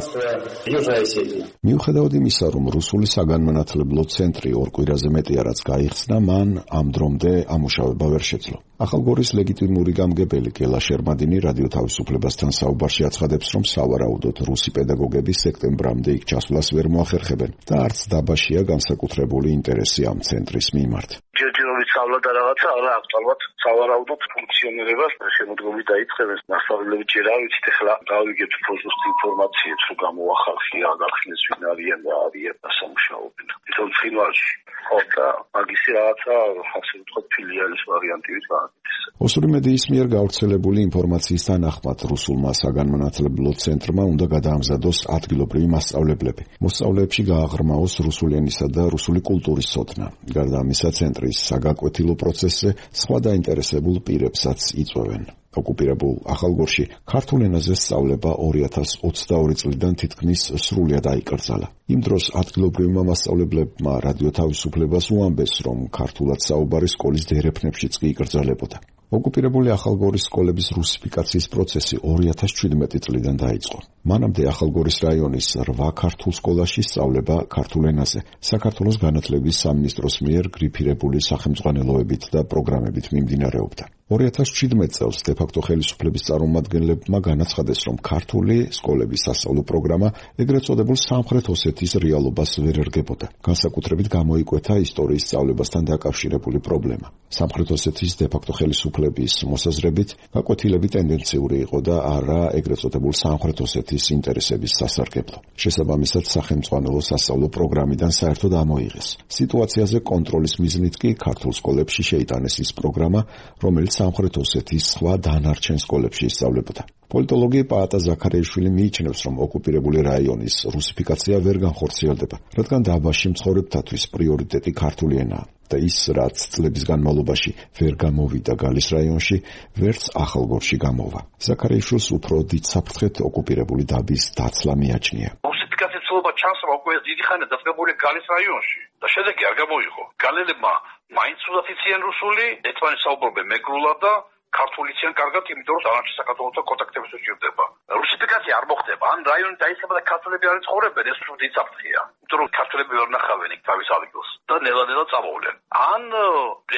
მიუხედავად იმისა, რომ რუსული საგანმანათლებლო ცენტრი ორ კვირაზე მეტია რაც გაიხსნა, მან ამ დრომდე ამუშავება ვერ შეძლო. ახალგორის ლეგიტიმური გამგებელი გელა შერმადინი რადიო თავისუფლებასთან საუბარში აცხადებს, რომ სავარაუდოდ რუსი პედაგოგები სექტემბრამდე იქ ჩასვლას ვერ მოახერხებენ და არც დაბაშია განსაკუთრებული ინტერესი ამ ცენტრის მიმართ. ჯერჯერობით სწავლა და რაღაცა არა აქტუალურად სავარაუდოდ ფუნქციონირებას შემოდგომით დაიწყებენ. მასწავლებლები ჯერ არ ვიცით, ახლა გავიგებთ უბრალოდ ინფორმაციებს, რომ გამოახალხი რა გახსნეს ვინ არიან და არიან დასამუშავებენ. თვითონ ცხინვალში ხო და მაგისი რაღაცა ასე ვთქვათ ფილიალის ვარიანტივით გააკეთეს. ოსური მედიის მიერ გავრცელებული ინფორმაციის თანახმად რუსულმა საგანმანათლებლო ცენტრმა უნდა გადაამზადოს ადგილობრივი მასწავლებლები. მოსწავლეებში გააღრმაოს რუსული ენისა და რუსული კულტურის ცოდნა. გარდა ამისა, ცენტრის საგაკვეთილო პროცესზე სხვა დაინტერესებულ პირებსაც იწვევენ. ოკუპირებულ ახალგორში ქართულ ენაზე სწავლება ორი ათას ოცდაორი წლიდან თითქმის სრულად აიკრძალა. იმ დროს ადგილობრივმა მასწავლებლებმა რადიო თავისუფლებას უამბეს, რომ ქართულად საუბარი სკოლის დერეფნებშიც კი იკრძალებოდა. ოკუპირებული ახალგორის სკოლების რუსიფიკაციის პროცესი ორი ათას შვიდმეტი წლიდან დაიწყო. მანამდე ახალგორის რაიონის რვა ქართულ სკოლაში სწავლება ქართულ ენაზე საქართველოს განათლების სამინისტროს მიერ გრიფირებული სახელმძღვანელოებით და პროგრამებით მიმდინარეობდა. ორი ათას შვიდმეტ წელს დე-ფაქტო ხელისუფლების წარმომადგენლებმა განაცხადეს, რომ ქართული სკოლების სასწავლო პროგრამა ეგრეთ წოდებულ სამხრეთ ოსეთის რეალობას ვერ ერგებოდა. განსაკუთრებით გამოიკვეთა ისტორიის სწავლებასთან დაკავშირებული პრობლემა. სამხრეთ ოსეთის დე-ფაქტო ხელისუფლების მოსაზრებით, გაკვეთილები ტენდენციური იყო და არა ეგრეთ წოდებულ სამხრეთ ოსეთის ინტერესების სასარგებლო. შესაბამისად, სახელმძღვანელო სასწავლო პროგრამიდან საერთოდ ამოიღეს. სიტუაციაზე კონტროლის მიზნით კი ქართულ სკოლებში შეიტანეს ის პროგრამა, რომელიც სამხრეთ ოსეთის სხვა დანარჩენ სკოლებში ისწავლებოდა. პოლიტოლოგი პაატა ზაქარიაშვილი მიიჩნევს, რომ ოკუპირებული რაიონის რუსიფიკაცია ვერ განხორციელდება, რადგან დაბაში მცხოვრებთათვის პრიორიტეტი ქართული ენაა და ის, რაც წლების განმავლობაში ვერ გამოვიდა გალის რაიონში, ვერც ახალგორში გამოვა. ზაქარიაშვილს უფრო დიდ საფრთხეთ ოკუპირებული დაბის დაცლა მიაჩნია. რუსიფიკაციის ცდილობა ჩანს, რომ უკვე დიდი ხანია დაწესებული გალის რაიონში და შედეგი არ გამოიღო. გალელებმა მაინც უნდა იციან რუსული, ერთმანეთს საუბრობენ მეგრულად და ქართული იციან კარგად, იმიტომ რომ დანარჩენ საქართველოსთან კონტაქტების უჭირდება. რუსიფიკაცია არ მოხდება. ან რაიონი დაიწყება და ქართველები არ ცხოვრობენ, ეს უფრო დიდი საფრთხეა. იმიტომ რომ ქართველები ვერ ნახავენ იქ თავის ადგილს და ნელა-ნელა წამოვლენ. ან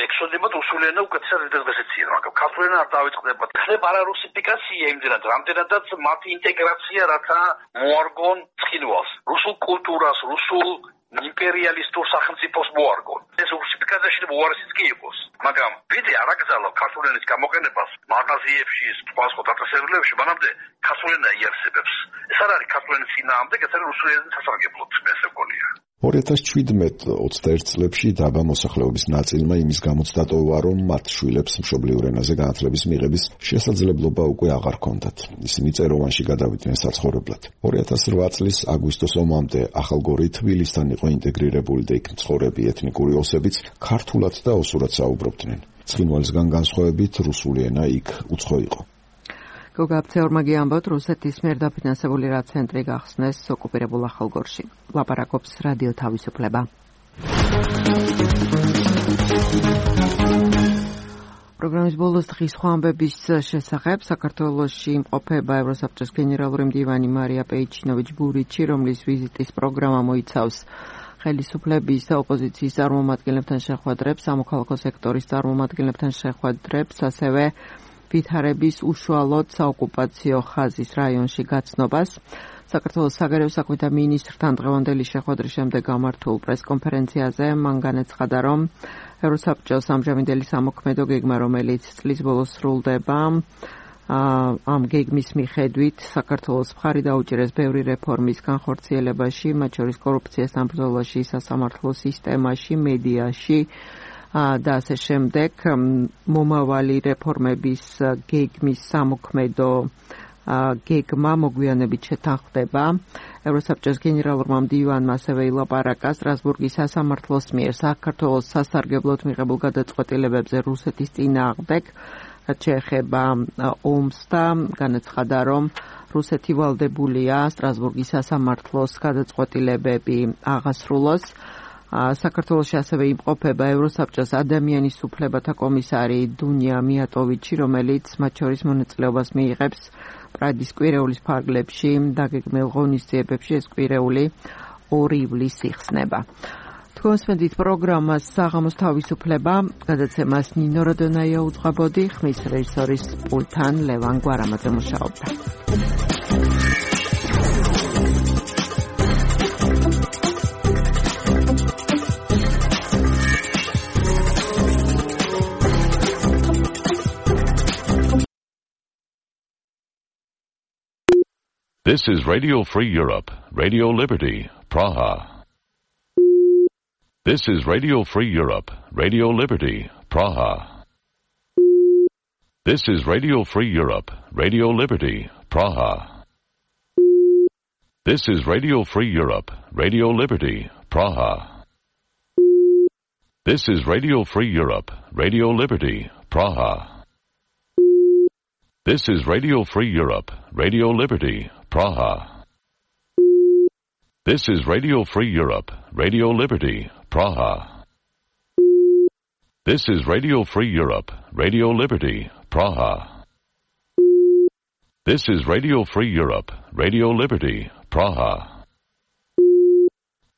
ექსოდებად რუსული ენა უკეთესად დღეს იციან, მაგრამ ქართული ენა არ დაიწყდება. ხდება არა რუსიფიკაცია იმდენად, რამდენადაც მათი ინტეგრაცია, რათა მოარგონ ცხინვალს, რუსულ კულტურას, რუსულ იმპერიალისტურ სახელმწიფოს მოარგონ. ეს რუსიფიკაციაში უარესიც კი იყოს. მაგრამ ვიდრე არ აკრძალა ქართული ენის გამოყენებას მაღაზიებში, სხვა სხვა დაწესებულებებში, მანამდე ქართული ენა იარსებებს. ეს არ არის ქართული ენის წინააღმდეგ, ეს არის რუსული ენის სასარგებლოდ, მე ესე მგონია. ორი ათას შვიდმეტ ოცდაერთ წლებში დაბა მოსახლეობის ნაწილმა იმის გამოც დატოვა, რომ მათ შვილებს მშობლიურ ენაზე განათლების მიღების შესაძლებლობა უკვე აღარ ჰქონდათ. ისინი წეროვანში გადავიდნენ საცხოვრებლად. ორი ათას რვა წლის აგვისტოს ომამდე ახალგორი თბილისთან იყო ინტეგრირებული და იქ მცხოვრები ეთნიკური ოსებიც ქართულად და ოსურად საუბრობდნენ. ცხინვალისგან განსხვავებით რუსული ენა იქ უცხო იყო. გოგა აბცეორმაგი ამბობთ, რუსეთის მიერ დაფინანსებული რა ცენტრი გახსნეს ოკუპირებულ ახალგორში. ლაპარაკობს რადიო თავისუფლება. პროგრამის ბოლოს დღის სხვა ამბების შესახებ საქართველოში იმყოფება ევროსაბჭოს გენერალური მდივანი მარია პეიჩინოვიჩ-ბურიჩი, რომლის ვიზიტის პროგრამა მოიცავს ხელისუფლების და ოპოზიციის წარმომადგენლებთან შეხვედრებს, სამოქალაქო სექტორის წარმომადგენლებთან შეხვედრებს, ასევე ვითარების უშუალოდ საოკუპაციო ხაზის რაიონში გაცნობას. საქართველოს საგარეო საქმეთა მინისტრთან დღევანდელი შეხვედრის შემდეგ გამართულ პრესკონფერენციაზე მან განაცხადა, რომ ევროსაბჭოს ამჟამინდელი სამოქმედო გეგმა, რომელიც წლის ბოლოს სრულდება, ამ გეგმის მიხედვით საქართველოს მხარი დაუჭირეს ბევრი რეფორმის განხორციელებაში, მათ შორის კორუფციასთან ბრძოლაში, სასამართლო სისტემაში, მედიაში და ასე შემდეგ. მომავალი რეფორმების გეგმის სამოქმედო გეგმა მოგვიანებით შეთანხმდება. ევროსაბჭოს გენერალურმა მდივანმა ასევე ილაპარაკა სტრასბურგის სასამართლოს მიერ საქართველოს სასარგებლოდ მიღებულ გადაწყვეტილებებზე რუსეთის წინააღმდეგ, რაც შეეხება ომს და განაცხადა, რომ რუსეთი ვალდებულია სტრასბურგის სასამართლოს გადაწყვეტილებები აღასრულოს. საქართველოში ასევე იმყოფება ევროსაბჭოს ადამიანის უფლებათა კომისარი დუნია მიატოვიჩი, რომელიც მათ შორის მონაწილეობას მიიღებს პრადის კვირეულის ფარგლებში დაგეგმილ ღონისძიებებში. ეს კვირეული ორი ივლისს იხსნება. თქვენსმენდით პროგრამას საღამოს თავისუფლება, გადაცემას ნინო როდონაია უძღვებოდი, ხმის რეჟისორის პულტთან ლევან გვარამაძე მუშაობდა. This is Radio Free Europe, Radio Liberty, Praha. This is Radio Free Europe, Radio Liberty, Praha. This is Radio Free Europe, Radio Liberty, Praha. This is Radio Free Europe, Radio Liberty, Praha. This is Radio Free Europe, Radio Liberty, Praha. This is Radio Free Europe, Radio Liberty, Praha. This is Radio Free Europe, Radio Liberty, Praha. This is Radio Free Europe, Radio Liberty, Praha. This is Radio Free Europe, Radio Liberty, Praha.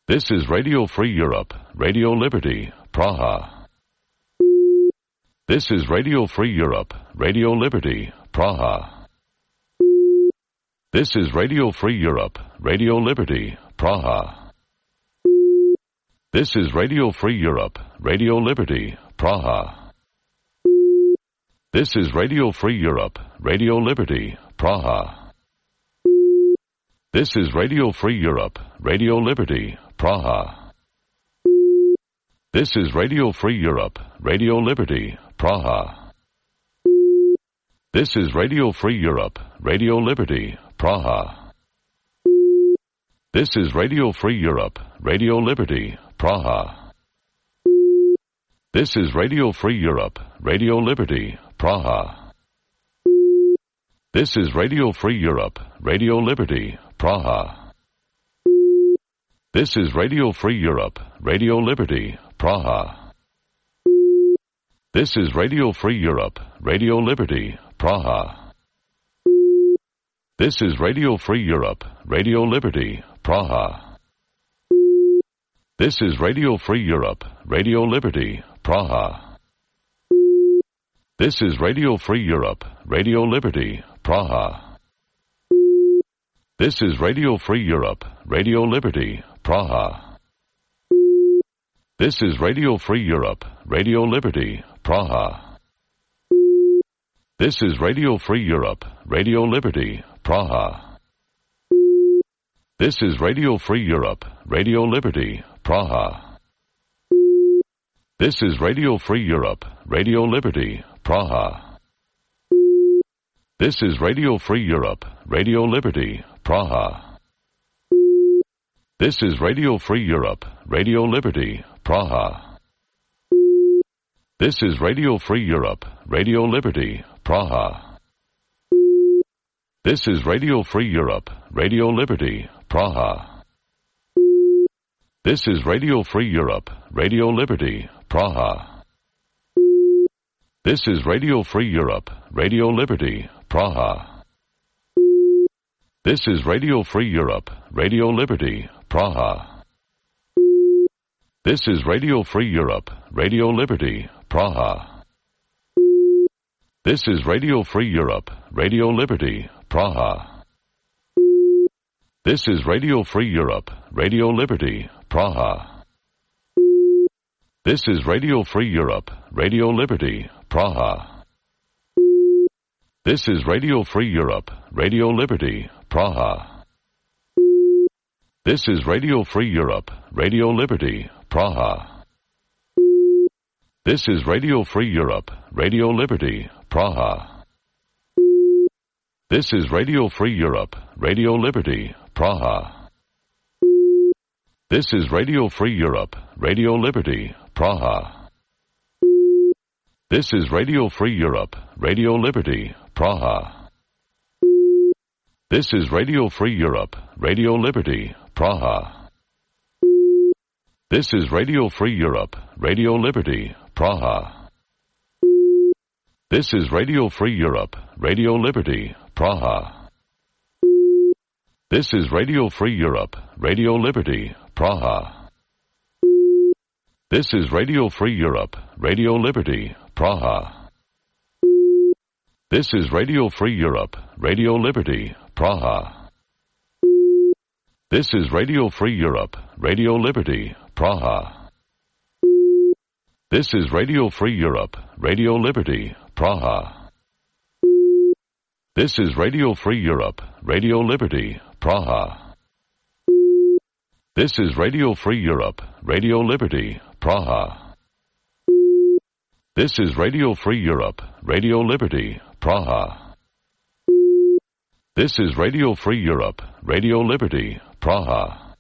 This is Radio Free Europe, Radio Liberty, Praha. This is Radio Free Europe, Radio Liberty, Praha. This is Radio Free Europe, Radio Liberty, Praha. This is Radio Free Europe, Radio Liberty, Praha. This is Radio Free Europe, Radio Liberty, Praha. This is Radio Free Europe, Radio Liberty, Praha. This is Radio Free Europe, Radio Liberty, Praha. This is Radio Free Europe, Radio Liberty, Praha. This is Radio Free Europe, Radio Liberty, Praha. This is Radio Free Europe, Radio Liberty, Praha. This is Radio Free Europe, Radio Liberty, Praha. This is Radio Free Europe, Radio Liberty, Praha. This is Radio Free Europe, Radio Liberty, Praha. This is Radio Free Europe, Radio Liberty, Praha. This is Radio Free Europe, Radio Liberty, Praha. This is Radio Free Europe, Radio Liberty, Praha. This is Radio Free Europe, Radio Liberty, Praha. This is Radio Free Europe, Radio Liberty, Praha. This is Radio Free Europe, Radio Liberty, Praha. This is Radio Free Europe, Radio Liberty, Praha. This is Radio Free Europe, Radio Liberty, Praha. This is Radio Free Europe, Radio Liberty, Praha. This is Radio Free Europe, Radio Liberty, Praha. This is Radio Free Europe, Radio Liberty, Praha. This is Radio Free Europe, Radio Liberty, Praha. This is Radio Free Europe, Radio Liberty, Praha. This is Radio Free Europe, Radio Liberty, Praha. This is Radio Free Europe, Radio Liberty, Praha. This is Radio Free Europe, Radio Liberty, Praha. This is Radio Free Europe, Radio Liberty, Praha. This is Radio Free Europe, Radio Liberty, Praha. This is Radio Free Europe, Radio Liberty, Praha. This is Radio Free Europe, Radio Liberty, Praha. This is Radio Free Europe, Radio Liberty, Praha. This is Radio Free Europe, Radio Liberty, Praha. This is Radio Free Europe, Radio Liberty, Praha. This is Radio Free Europe, Radio Liberty, Praha. This is Radio Free Europe, Radio Liberty, Praha. This is Radio Free Europe, Radio Liberty, Praha. This is Radio Free Europe, Radio Liberty, Praha. This is Radio Free Europe, Radio Liberty, Praha. This is Radio Free Europe, Radio Liberty, Praha. This is Radio Free Europe, Radio Liberty, Praha. This is Radio Free Europe, Radio Liberty, Praha. This is Radio Free Europe, Radio Liberty, Praha. This is Radio Free Europe, Radio Liberty, Praha. This is Radio Free Europe, Radio Liberty, Praha. This is Radio Free Europe, Radio Liberty, Praha. This is Radio Free Europe, Radio Liberty, Praha. This is Radio Free Europe, Radio Liberty, Praha.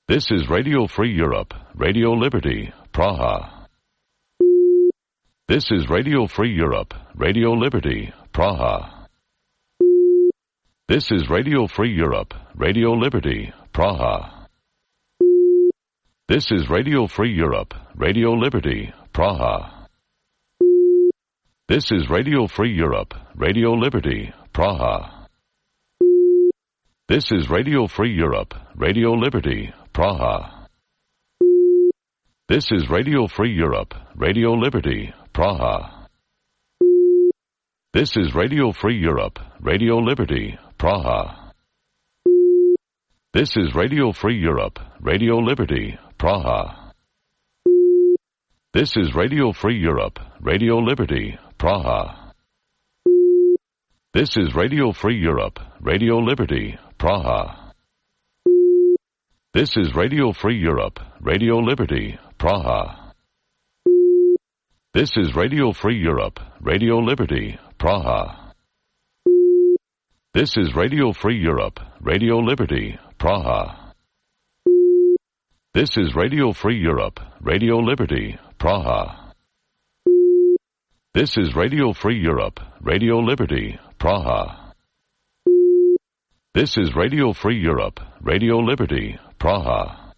This is Radio Free Europe, Radio Liberty, Praha. This is Radio Free Europe, Radio Liberty, Praha. This is Radio Free Europe, Radio Liberty, Praha. This is Radio Free Europe, Radio Liberty, Praha. This is Radio Free Europe, Radio Liberty, Praha. This is Radio Free Europe, Radio Liberty, Praha. This is Radio Free Europe, Radio Liberty, Praha. This is Radio Free Europe, Radio Liberty, Praha. This is Radio Free Europe, Radio Liberty, Praha. This is Radio Free Europe, Radio Liberty, Praha. This is Radio Free Europe, Radio Liberty, Praha. This is Radio Free Europe, Radio Liberty, Praha. This is Radio Free Europe, Radio Liberty, Praha. This is Radio Free Europe, Radio Liberty, Praha. This is Radio Free Europe, Radio Liberty, Praha. This is Radio Free Europe, Radio Liberty, Praha. This is Radio Free Europe, Radio Liberty, Praha.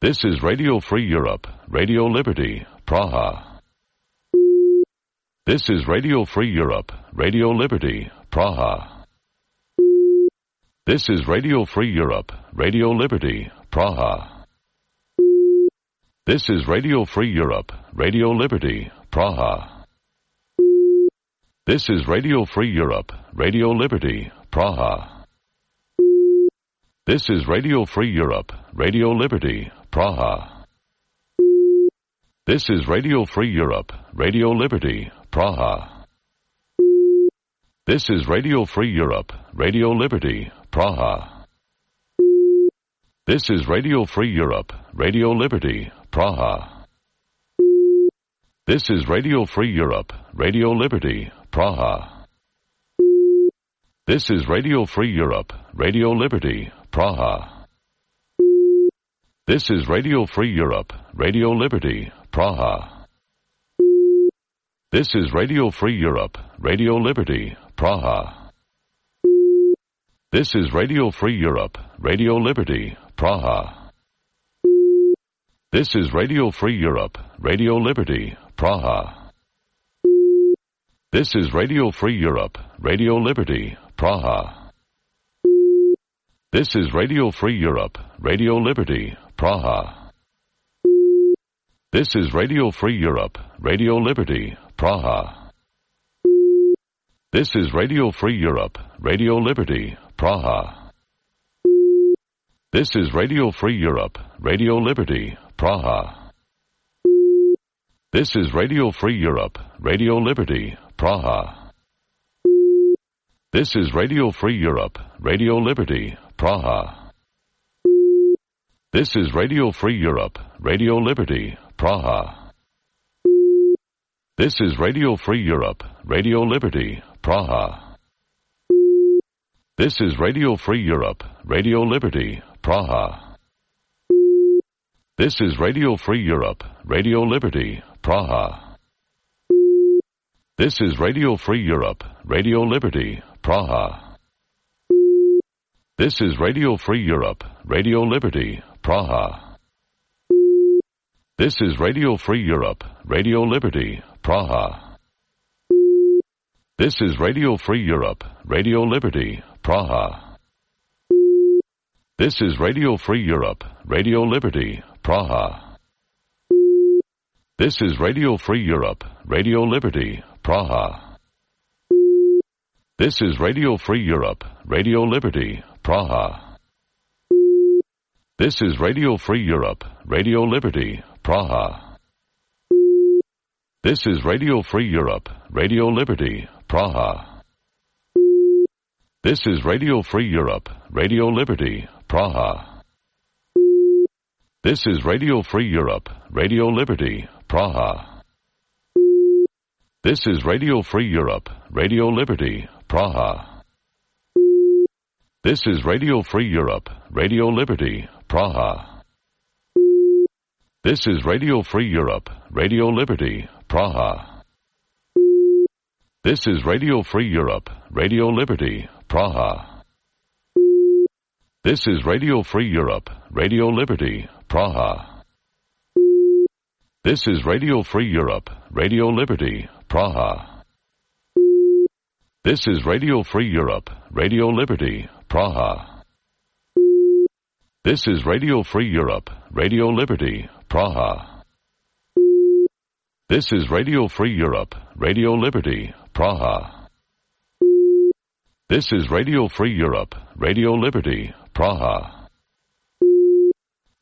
This is Radio Free Europe, Radio Liberty, Praha. This is Radio Free Europe, Radio Liberty, Praha. This is Radio Free Europe, Radio Liberty, Praha. This is Radio Free Europe, Radio Liberty, Praha. This is Radio Free Europe, Radio Liberty, Praha. This is Radio Free Europe, Radio Liberty, Praha. This is Radio Free Europe, Radio Liberty, Praha. This is Radio Free Europe, Radio Liberty, Praha. This is Radio Free Europe, Radio Liberty, Praha. This is Radio Free Europe, Radio Liberty, Praha. This is Radio Free Europe, Radio Liberty, Praha. This is Radio Free Europe, Radio Liberty, Praha. This is Radio Free Europe, Radio Liberty, Praha. This is Radio Free Europe, Radio Liberty, Praha. This is Radio Free Europe, Radio Liberty, Praha. This is Radio Free Europe, Radio Liberty, Praha. This is Radio Free Europe, Radio Liberty, Praha. This is Radio Free Europe, Radio Liberty, Praha. This is Radio Free Europe, Radio Liberty, Praha. This is Radio Free Europe, Radio Liberty, Praha. This is Radio Free Europe, Radio Liberty, Praha. This is Radio Free Europe, Radio Liberty, Praha. This is Radio Free Europe, Radio Liberty, Praha. This is Radio Free Europe, Radio Liberty, Praha. This is Radio Free Europe, Radio Liberty, Praha. This is Radio Free Europe, Radio Liberty, Praha. This is Radio Free Europe, Radio Liberty, Praha. This is Radio Free Europe, Radio Liberty, Praha. This is Radio Free Europe, Radio Liberty, Praha. This is Radio Free Europe, Radio Liberty, Praha. This is Radio Free Europe, Radio Liberty, Praha. This is Radio Free Europe, Radio Liberty, Praha. This is Radio Free Europe, Radio Liberty, Praha. This is Radio Free Europe, Radio Liberty, Praha. This is Radio Free Europe, Radio Liberty, Praha. This is Radio Free Europe, Radio Liberty, Praha. This is Radio Free Europe, Radio Liberty, Praha. This is Radio Free Europe, Radio Liberty, Praha. This is Radio Free Europe, Radio Liberty, Praha. This is Radio Free Europe, Radio Liberty, Praha. This is Radio Free Europe, Radio Liberty, Praha. This is Radio Free Europe, Radio Liberty, Praha. This is Radio Free Europe, Radio Liberty, Praha. This is Radio Free Europe, Radio Liberty, Praha. This is Radio Free Europe, Radio Liberty, Praha. This is Radio Free Europe, Radio Liberty, Praha. This is Radio Free Europe, Radio Liberty, Praha.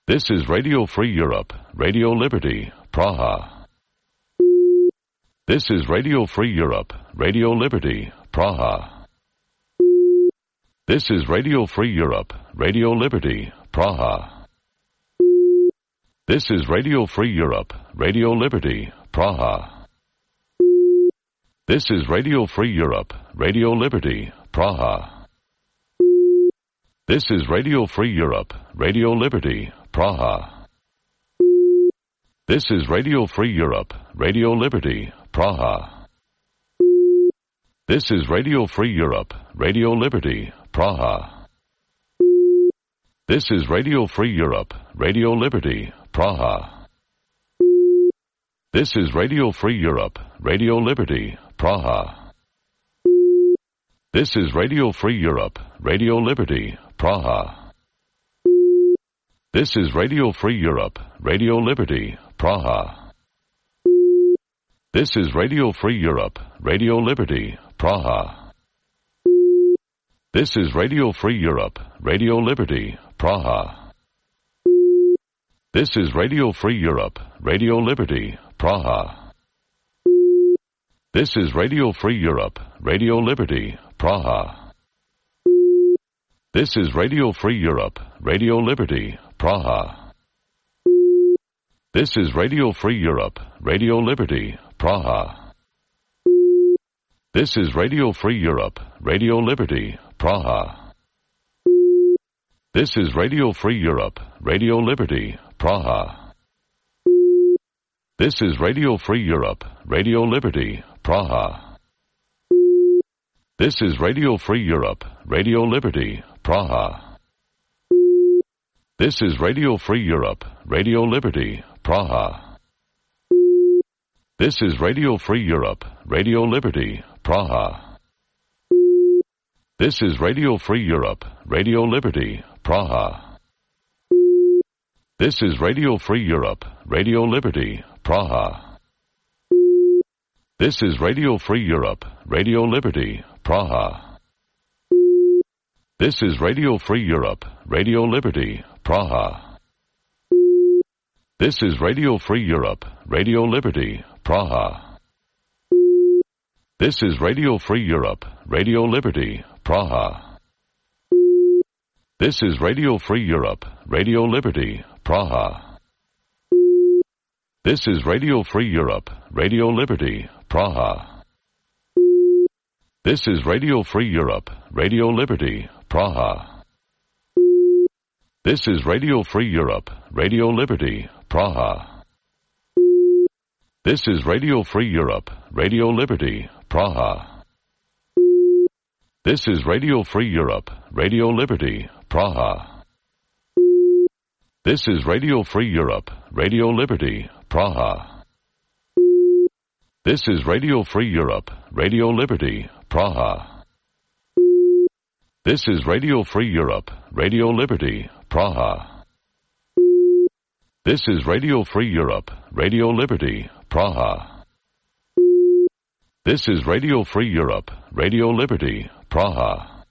This is Radio Free Europe, Radio Liberty, Praha. This is Radio Free Europe, Radio Liberty, Praha. This is Radio Free Europe, Radio Liberty, Praha. This is Radio Free Europe, Radio Liberty, Praha. This is Radio Free Europe, Radio Liberty, Praha. This is Radio Free Europe, Radio Liberty, Praha. This is Radio Free Europe, Radio Liberty, Praha. This is Radio Free Europe, Radio Liberty, Praha. This is Radio Free Europe, Radio Liberty, Praha. This is Radio Free Europe, Radio Liberty, Praha. This is Radio Free Europe, Radio Liberty, Praha. This is Radio Free Europe, Radio Liberty, Praha. This is Radio Free Europe, Radio Liberty, Praha. This is Radio Free Europe, Radio Liberty, Praha. This is Radio Free Europe, Radio Liberty, Praha. This is Radio Free Europe, Radio Liberty, Praha. This is Radio Free Europe, Radio Liberty, Praha. This is Radio Free Europe, Radio Liberty, Praha. This is Radio Free Europe, Radio Liberty, Praha. This is Radio Free Europe, Radio Liberty, Praha. This is Radio Free Europe, Radio Liberty, Praha. This is Radio Free Europe, Radio Liberty, Praha. This is Radio Free Europe, Radio Liberty, Praha. This is Radio Free Europe, Radio Liberty, Praha. This is Radio Free Europe, Radio Liberty, Praha. This is Radio Free Europe, Radio Liberty, Praha. This is Radio Free Europe, Radio Liberty, Praha. This is Radio Free Europe, Radio Liberty, Praha. This is Radio Free Europe, Radio Liberty, Praha. This is Radio Free Europe, Radio Liberty, Praha. This is Radio Free Europe, Radio Liberty, Praha. This is Radio Free Europe, Radio Liberty, Praha. This is Radio Free Europe, Radio Liberty, Praha. This is Radio Free Europe, Radio Liberty, Praha. This is Radio Free Europe, Radio Liberty, Praha. This is Radio Free Europe, Radio Liberty, Praha. This is Radio Free Europe, Radio Liberty, Praha. This is Radio Free Europe, Radio Liberty, Praha. This is Radio Free Europe, Radio Liberty, Praha. This is Radio Free Europe, Radio Liberty, Praha. This is Radio Free Europe, Radio Liberty, Praha.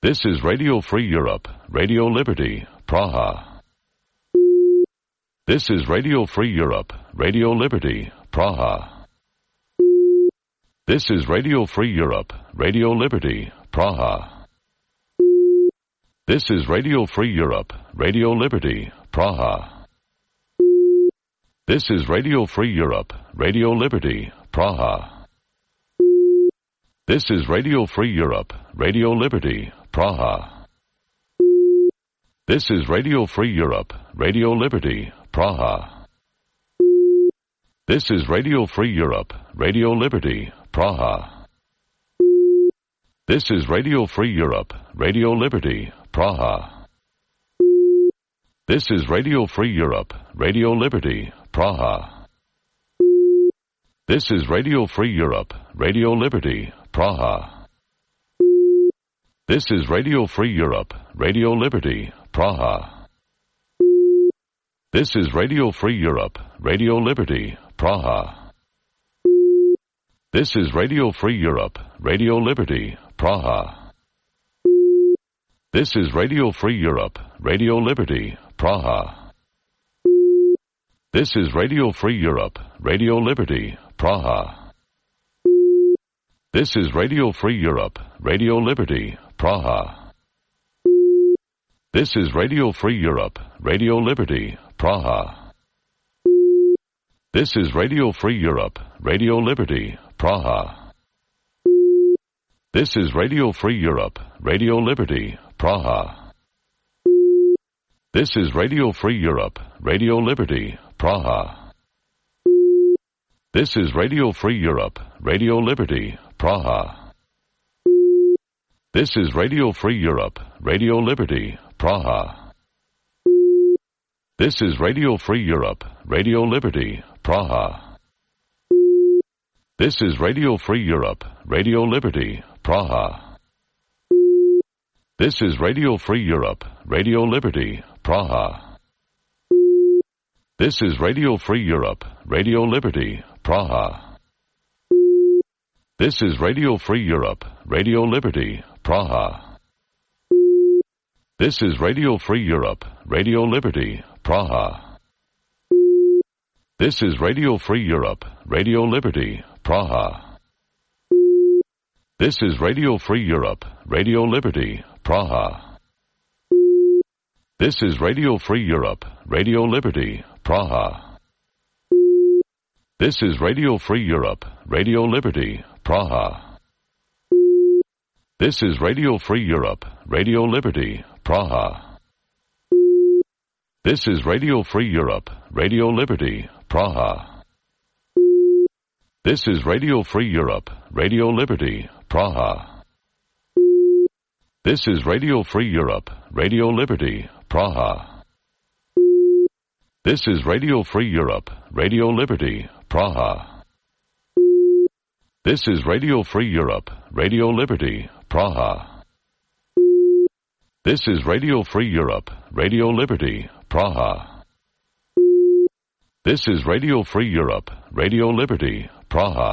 This is Radio Free Europe, Radio Liberty, Praha. This is Radio Free Europe, Radio Liberty, Praha. This is Radio Free Europe, Radio Liberty, Praha. This is Radio Free Europe, Radio Liberty, Praha. This is Radio Free Europe, Radio Liberty, Praha. This is Radio Free Europe, Radio Liberty, Praha. This is Radio Free Europe, Radio Liberty, Praha. This is Radio Free Europe, Radio Liberty, Praha. This is Radio Free Europe, Radio Liberty, Praha. This is Radio Free Europe, Radio Liberty, Praha. This is Radio Free Europe, Radio Liberty, Praha. This is Radio Free Europe, Radio Liberty, Praha. This is Radio Free Europe, Radio Liberty, Praha. This is Radio Free Europe, Radio Liberty, Praha. This is Radio Free Europe, Radio Liberty, Praha. This is Radio Free Europe, Radio Liberty, Praha. This is Radio Free Europe, Radio Liberty, Praha. This is Radio Free Europe, Radio Liberty, Praha. This is Radio Free Europe, Radio Liberty, Praha. This is Radio Free Europe, Radio Liberty, Praha. This is Radio Free Europe, Radio Liberty, Praha. This is Radio Free Europe, Radio Liberty, Praha. This is Radio Free Europe, Radio Liberty, Praha. This is Radio Free Europe, Radio Liberty, Praha. This is Radio Free Europe, Radio Liberty, Praha. This is Radio Free Europe, Radio Liberty, Praha. This is Radio Free Europe, Radio Liberty, Praha. This is Radio Free Europe, Radio Liberty, Praha. This is Radio Free Europe, Radio Liberty, Praha. This is Radio Free Europe, Radio Liberty, Praha. This is Radio Free Europe, Radio Liberty, Praha. This is Radio Free Europe, Radio Liberty, Praha. This is Radio Free Europe, Radio Liberty, Praha. This is Radio Free Europe, Radio Liberty, Praha. This is Radio Free Europe, Radio Liberty, Praha. This is Radio Free Europe, Radio Liberty, Praha. This is Radio Free Europe, Radio Liberty, Praha. This is Radio Free Europe, Radio Liberty, Praha. This is Radio Free Europe, Radio Liberty, Praha. This is Radio Free Europe, Radio Liberty, Praha. This is Radio Free Europe, Radio Liberty, Praha.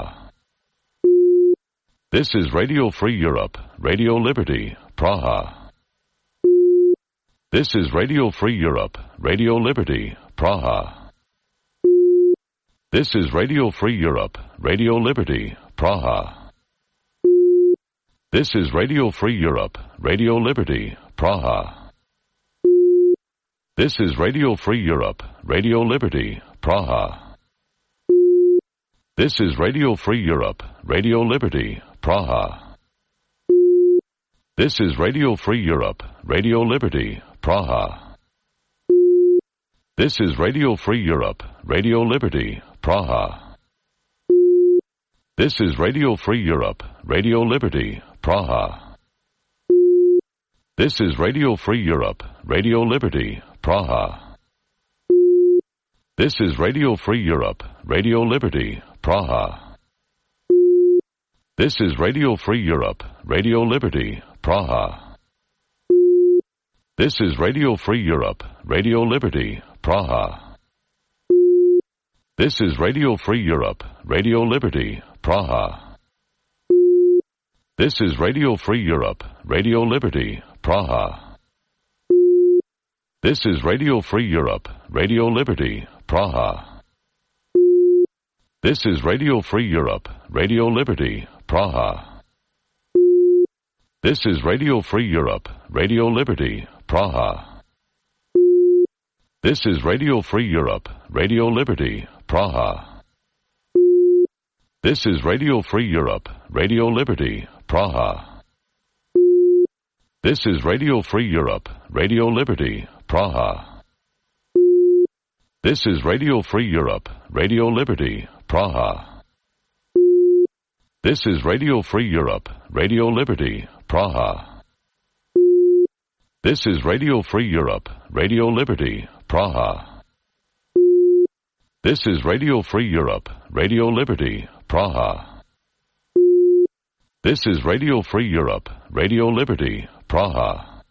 This is Radio Free Europe, Radio Liberty, Praha. This is Radio Free Europe, Radio Liberty, Praha. This is Radio Free Europe, Radio Liberty, Praha. This is Radio Free Europe, Radio Liberty, Praha. This is Radio Free Europe, Radio Liberty, Praha. This is Radio Free Europe, Radio Liberty, Praha. This is Radio Free Europe, Radio Liberty, Praha. This is Radio Free Europe, Radio Liberty, Praha. This is Radio Free Europe, Radio Liberty, Praha. This is Radio Free Europe, Radio Liberty, Praha. This is Radio Free Europe, Radio Liberty, Praha. This is Radio Free Europe, Radio Liberty, Praha. This is Radio Free Europe, Radio Liberty, Praha. This is Radio Free Europe, Radio Liberty, Praha. This is Radio Free Europe, Radio Liberty, Praha. This is Radio Free Europe, Radio Liberty, Praha. This is Radio Free Europe, Radio Liberty, Praha. This is Radio Free Europe, Radio Liberty, Praha. This is Radio Free Europe, Radio Liberty, Praha. This is Radio Free Europe, Radio Liberty, Praha. This is Radio Free Europe, Radio Liberty, Praha. This is Radio Free Europe, Radio Liberty, Praha. This is Radio Free Europe, Radio Liberty, Praha. This is Radio Free Europe, Radio Liberty, Praha. This is Radio Free Europe, Radio Liberty, Praha. This is Radio Free Europe, Radio Liberty, Praha.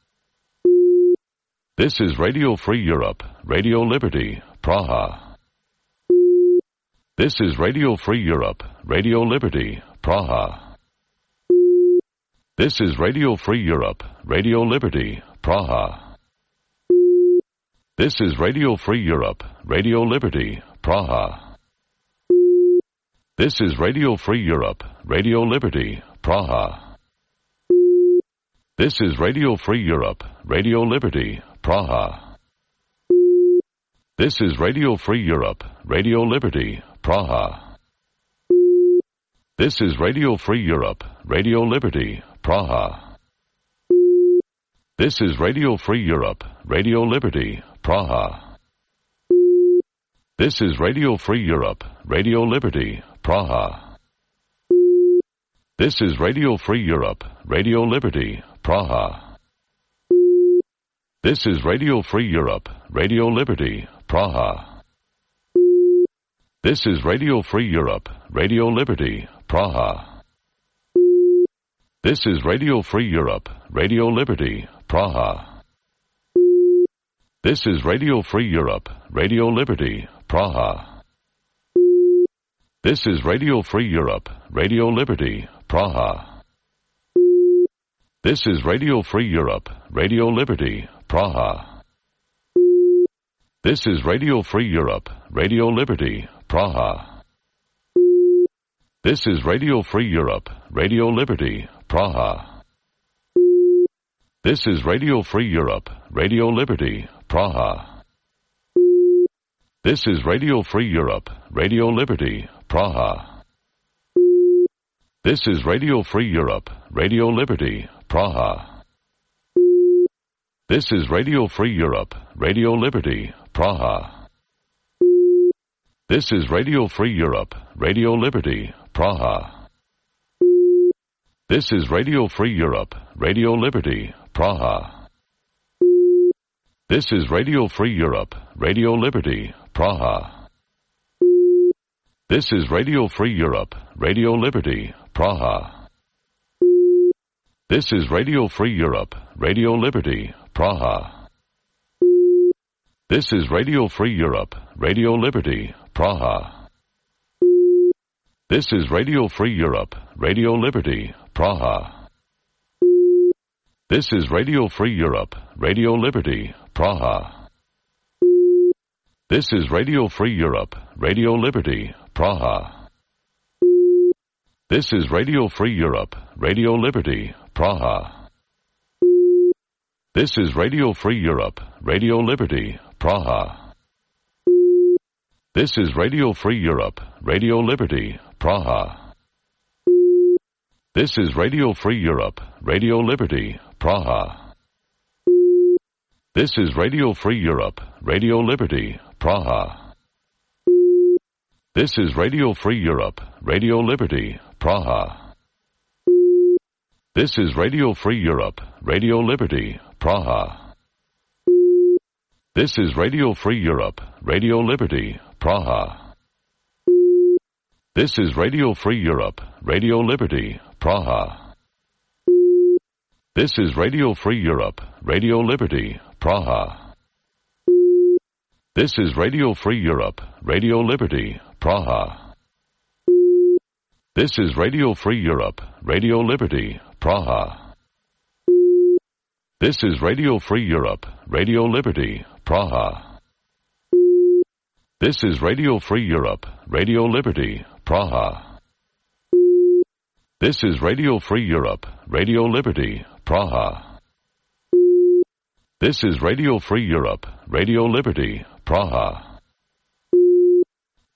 This is Radio Free Europe, Radio Liberty, Praha. This is Radio Free Europe, Radio Liberty, Praha. This is Radio Free Europe, Radio Liberty, Praha. This is Radio Free Europe, Radio Liberty, Praha. This is Radio Free Europe, Radio Liberty, Praha. This is Radio Free Europe, Radio Liberty, Praha. This is Radio Free Europe, Radio Liberty, Praha. This is Radio Free Europe, Radio Liberty, Praha. This is Radio Free Europe, Radio Liberty, Praha. This is Radio Free Europe, Radio Liberty, Praha. This is Radio Free Europe, Radio Liberty, Praha. This is Radio Free Europe, Radio Liberty, Praha. This is Radio Free Europe, Radio Liberty, Praha. This is Radio Free Europe, Radio Liberty, Praha. This is Radio Free Europe, Radio Liberty, Praha. This is Radio Free Europe, Radio Liberty, Praha. This is Radio Free Europe, Radio Liberty, Praha. This is Radio Free Europe, Radio Liberty, Praha. This is Radio Free Europe, Radio Liberty, Praha. This is Radio Free Europe, Radio Liberty, Praha. This is Radio Free Europe, Radio Liberty, Praha. This is Radio Free Europe, Radio Liberty, Praha. This is Radio Free Europe, Radio Liberty, Praha. This is Radio Free Europe, Radio Liberty, Praha. This is Radio Free Europe, Radio Liberty, Praha. This is Radio Free Europe, Radio Liberty, Praha. This is Radio Free Europe, Radio Liberty, Praha. This is Radio Free Europe, Radio Liberty, Praha. This is Radio Free Europe, Radio Liberty, Praha. This is Radio Free Europe, Radio Liberty, Praha. This is Radio Free Europe, Radio Liberty, Praha. This is Radio Free Europe, Radio Liberty, Praha. This is Radio Free Europe, Radio Liberty, Praha. This is Radio Free Europe, Radio Liberty, Praha. This is Radio Free Europe, Radio Liberty, Praha. This is Radio Free Europe, Radio Liberty, Praha. This is Radio Free Europe, Radio Liberty, Praha. This is Radio Free Europe, Radio Liberty, Praha. This is Radio Free Europe, Radio Liberty, Praha. This is Radio Free Europe, Radio Liberty, Praha. This is Radio Free Europe, Radio Liberty, Praha. This is Radio Free Europe, Radio Liberty, Praha. This is Radio Free Europe, Radio Liberty, Praha. This is Radio Free Europe, Radio Liberty, Praha. This is Radio Free Europe, Radio Liberty, Praha. This is Radio Free Europe, Radio Liberty, Praha. This is Radio Free Europe, Radio Liberty, Praha. This is Radio Free Europe, Radio Liberty, Praha.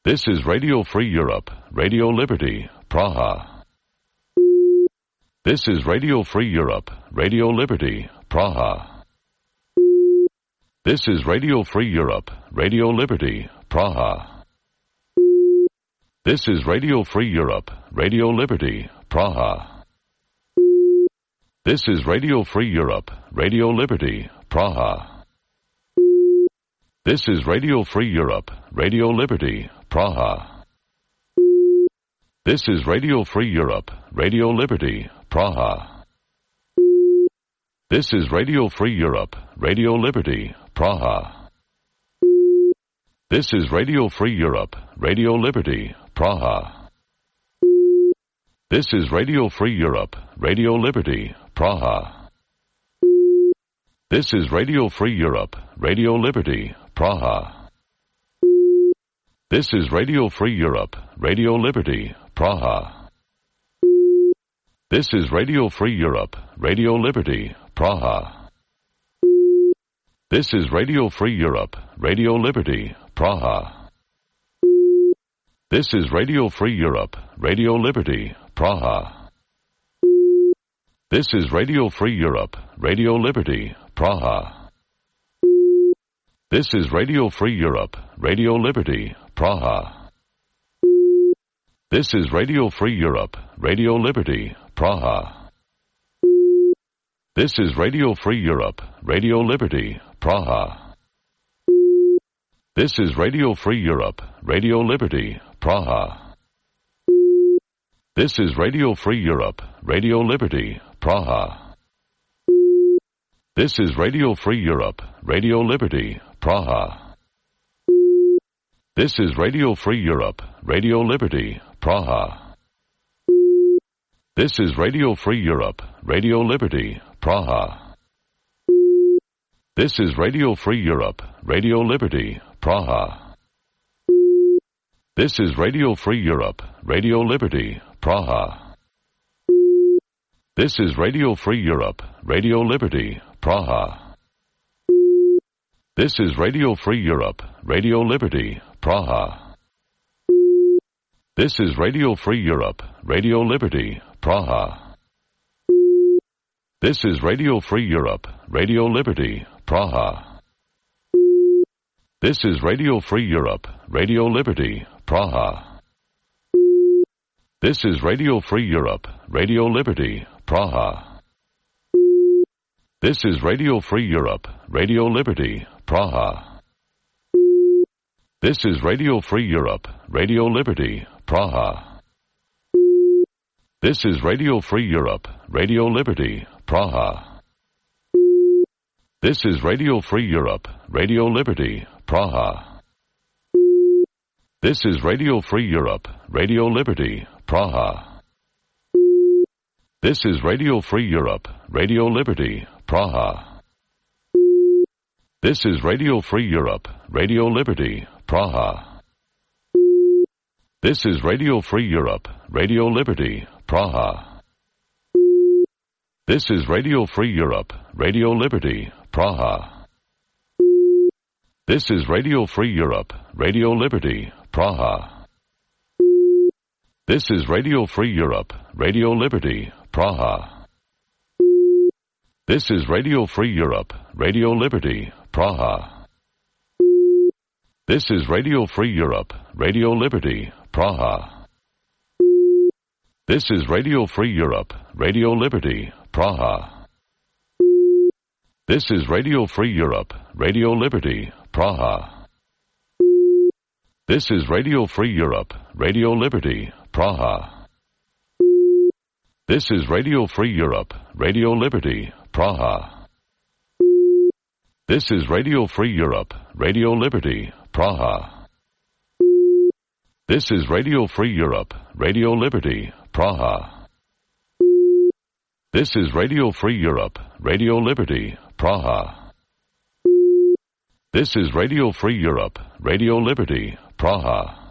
This is Radio Free Europe, Radio Liberty, Praha. This is Radio Free Europe, Radio Liberty, Praha. This is Radio Free Europe, Radio Liberty, Praha. This is Radio Free Europe, Radio Liberty, Praha. This is Radio Free Europe, Radio Liberty, Praha. This is Radio Free Europe, Radio Liberty, Praha. This is Radio Free Europe, Radio Liberty, Praha. This is Radio Free Europe, Radio Liberty, Praha. This is Radio Free Europe, Radio Liberty, Praha. This is Radio Free Europe, Radio Liberty, Praha. This is Radio Free Europe, Radio Liberty, Praha. This is Radio Free Europe, Radio Liberty, Praha. This is Radio Free Europe, Radio Liberty, Praha. This is Radio Free Europe, Radio Liberty, Praha. This is Radio Free Europe, Radio Liberty, Praha. This is Radio Free Europe, Radio Liberty, Praha. This is Radio Free Europe, Radio Liberty, Praha. This is Radio Free Europe, Radio Liberty, Praha. This is Radio Free Europe, Radio Liberty, Praha. This is Radio Free Europe, Radio Liberty, Praha. This is Radio Free Europe, Radio Liberty, Praha. This is Radio Free Europe, Radio Liberty, Praha. This is Radio Free Europe, Radio Liberty, Praha. This is Radio Free Europe, Radio Liberty, Praha. This is Radio Free Europe, Radio Liberty, Praha. This is Radio Free Europe, Radio Liberty, Praha. This is Radio Free Europe, Radio Liberty, Praha. This is Radio Free Europe, Radio Liberty, Praha. This is Radio Free Europe, Radio Liberty, Praha. This is Radio Free Europe, Radio Liberty, Praha. This is Radio Free Europe, Radio Liberty, Praha. This is Radio Free Europe, Radio Liberty, Praha. This is Radio Free Europe, Radio Liberty, Praha. This is Radio Free Europe, Radio Liberty, Praha. This is Radio Free Europe, Radio Liberty, Praha. This is Radio Free Europe, Radio Liberty, Praha. This is Radio Free Europe, Radio Liberty, Praha. This is Radio Free Europe, Radio Liberty, Praha. This is Radio Free Europe, Radio Liberty, Praha. This is Radio Free Europe, Radio Liberty, Praha. This is Radio Free Europe, Radio Liberty, Praha. This is Radio Free Europe, Radio Liberty, Praha. This is Radio Free Europe, Radio Liberty, Praha. This is Radio Free Europe, Radio Liberty, Praha. This is Radio Free Europe, Radio Liberty, Praha. This is Radio Free Europe, Radio Liberty, Praha. This is Radio Free Europe, Radio Liberty, Praha. This is Radio Free Europe, Radio Liberty, Praha. This is Radio Free Europe, Radio Liberty, Praha. This is Radio Free Europe, Radio Liberty, Praha. This is Radio Free Europe, Radio Liberty, Praha. This is Radio Free Europe, Radio Liberty, Praha. This is Radio Free Europe, Radio Liberty, Praha.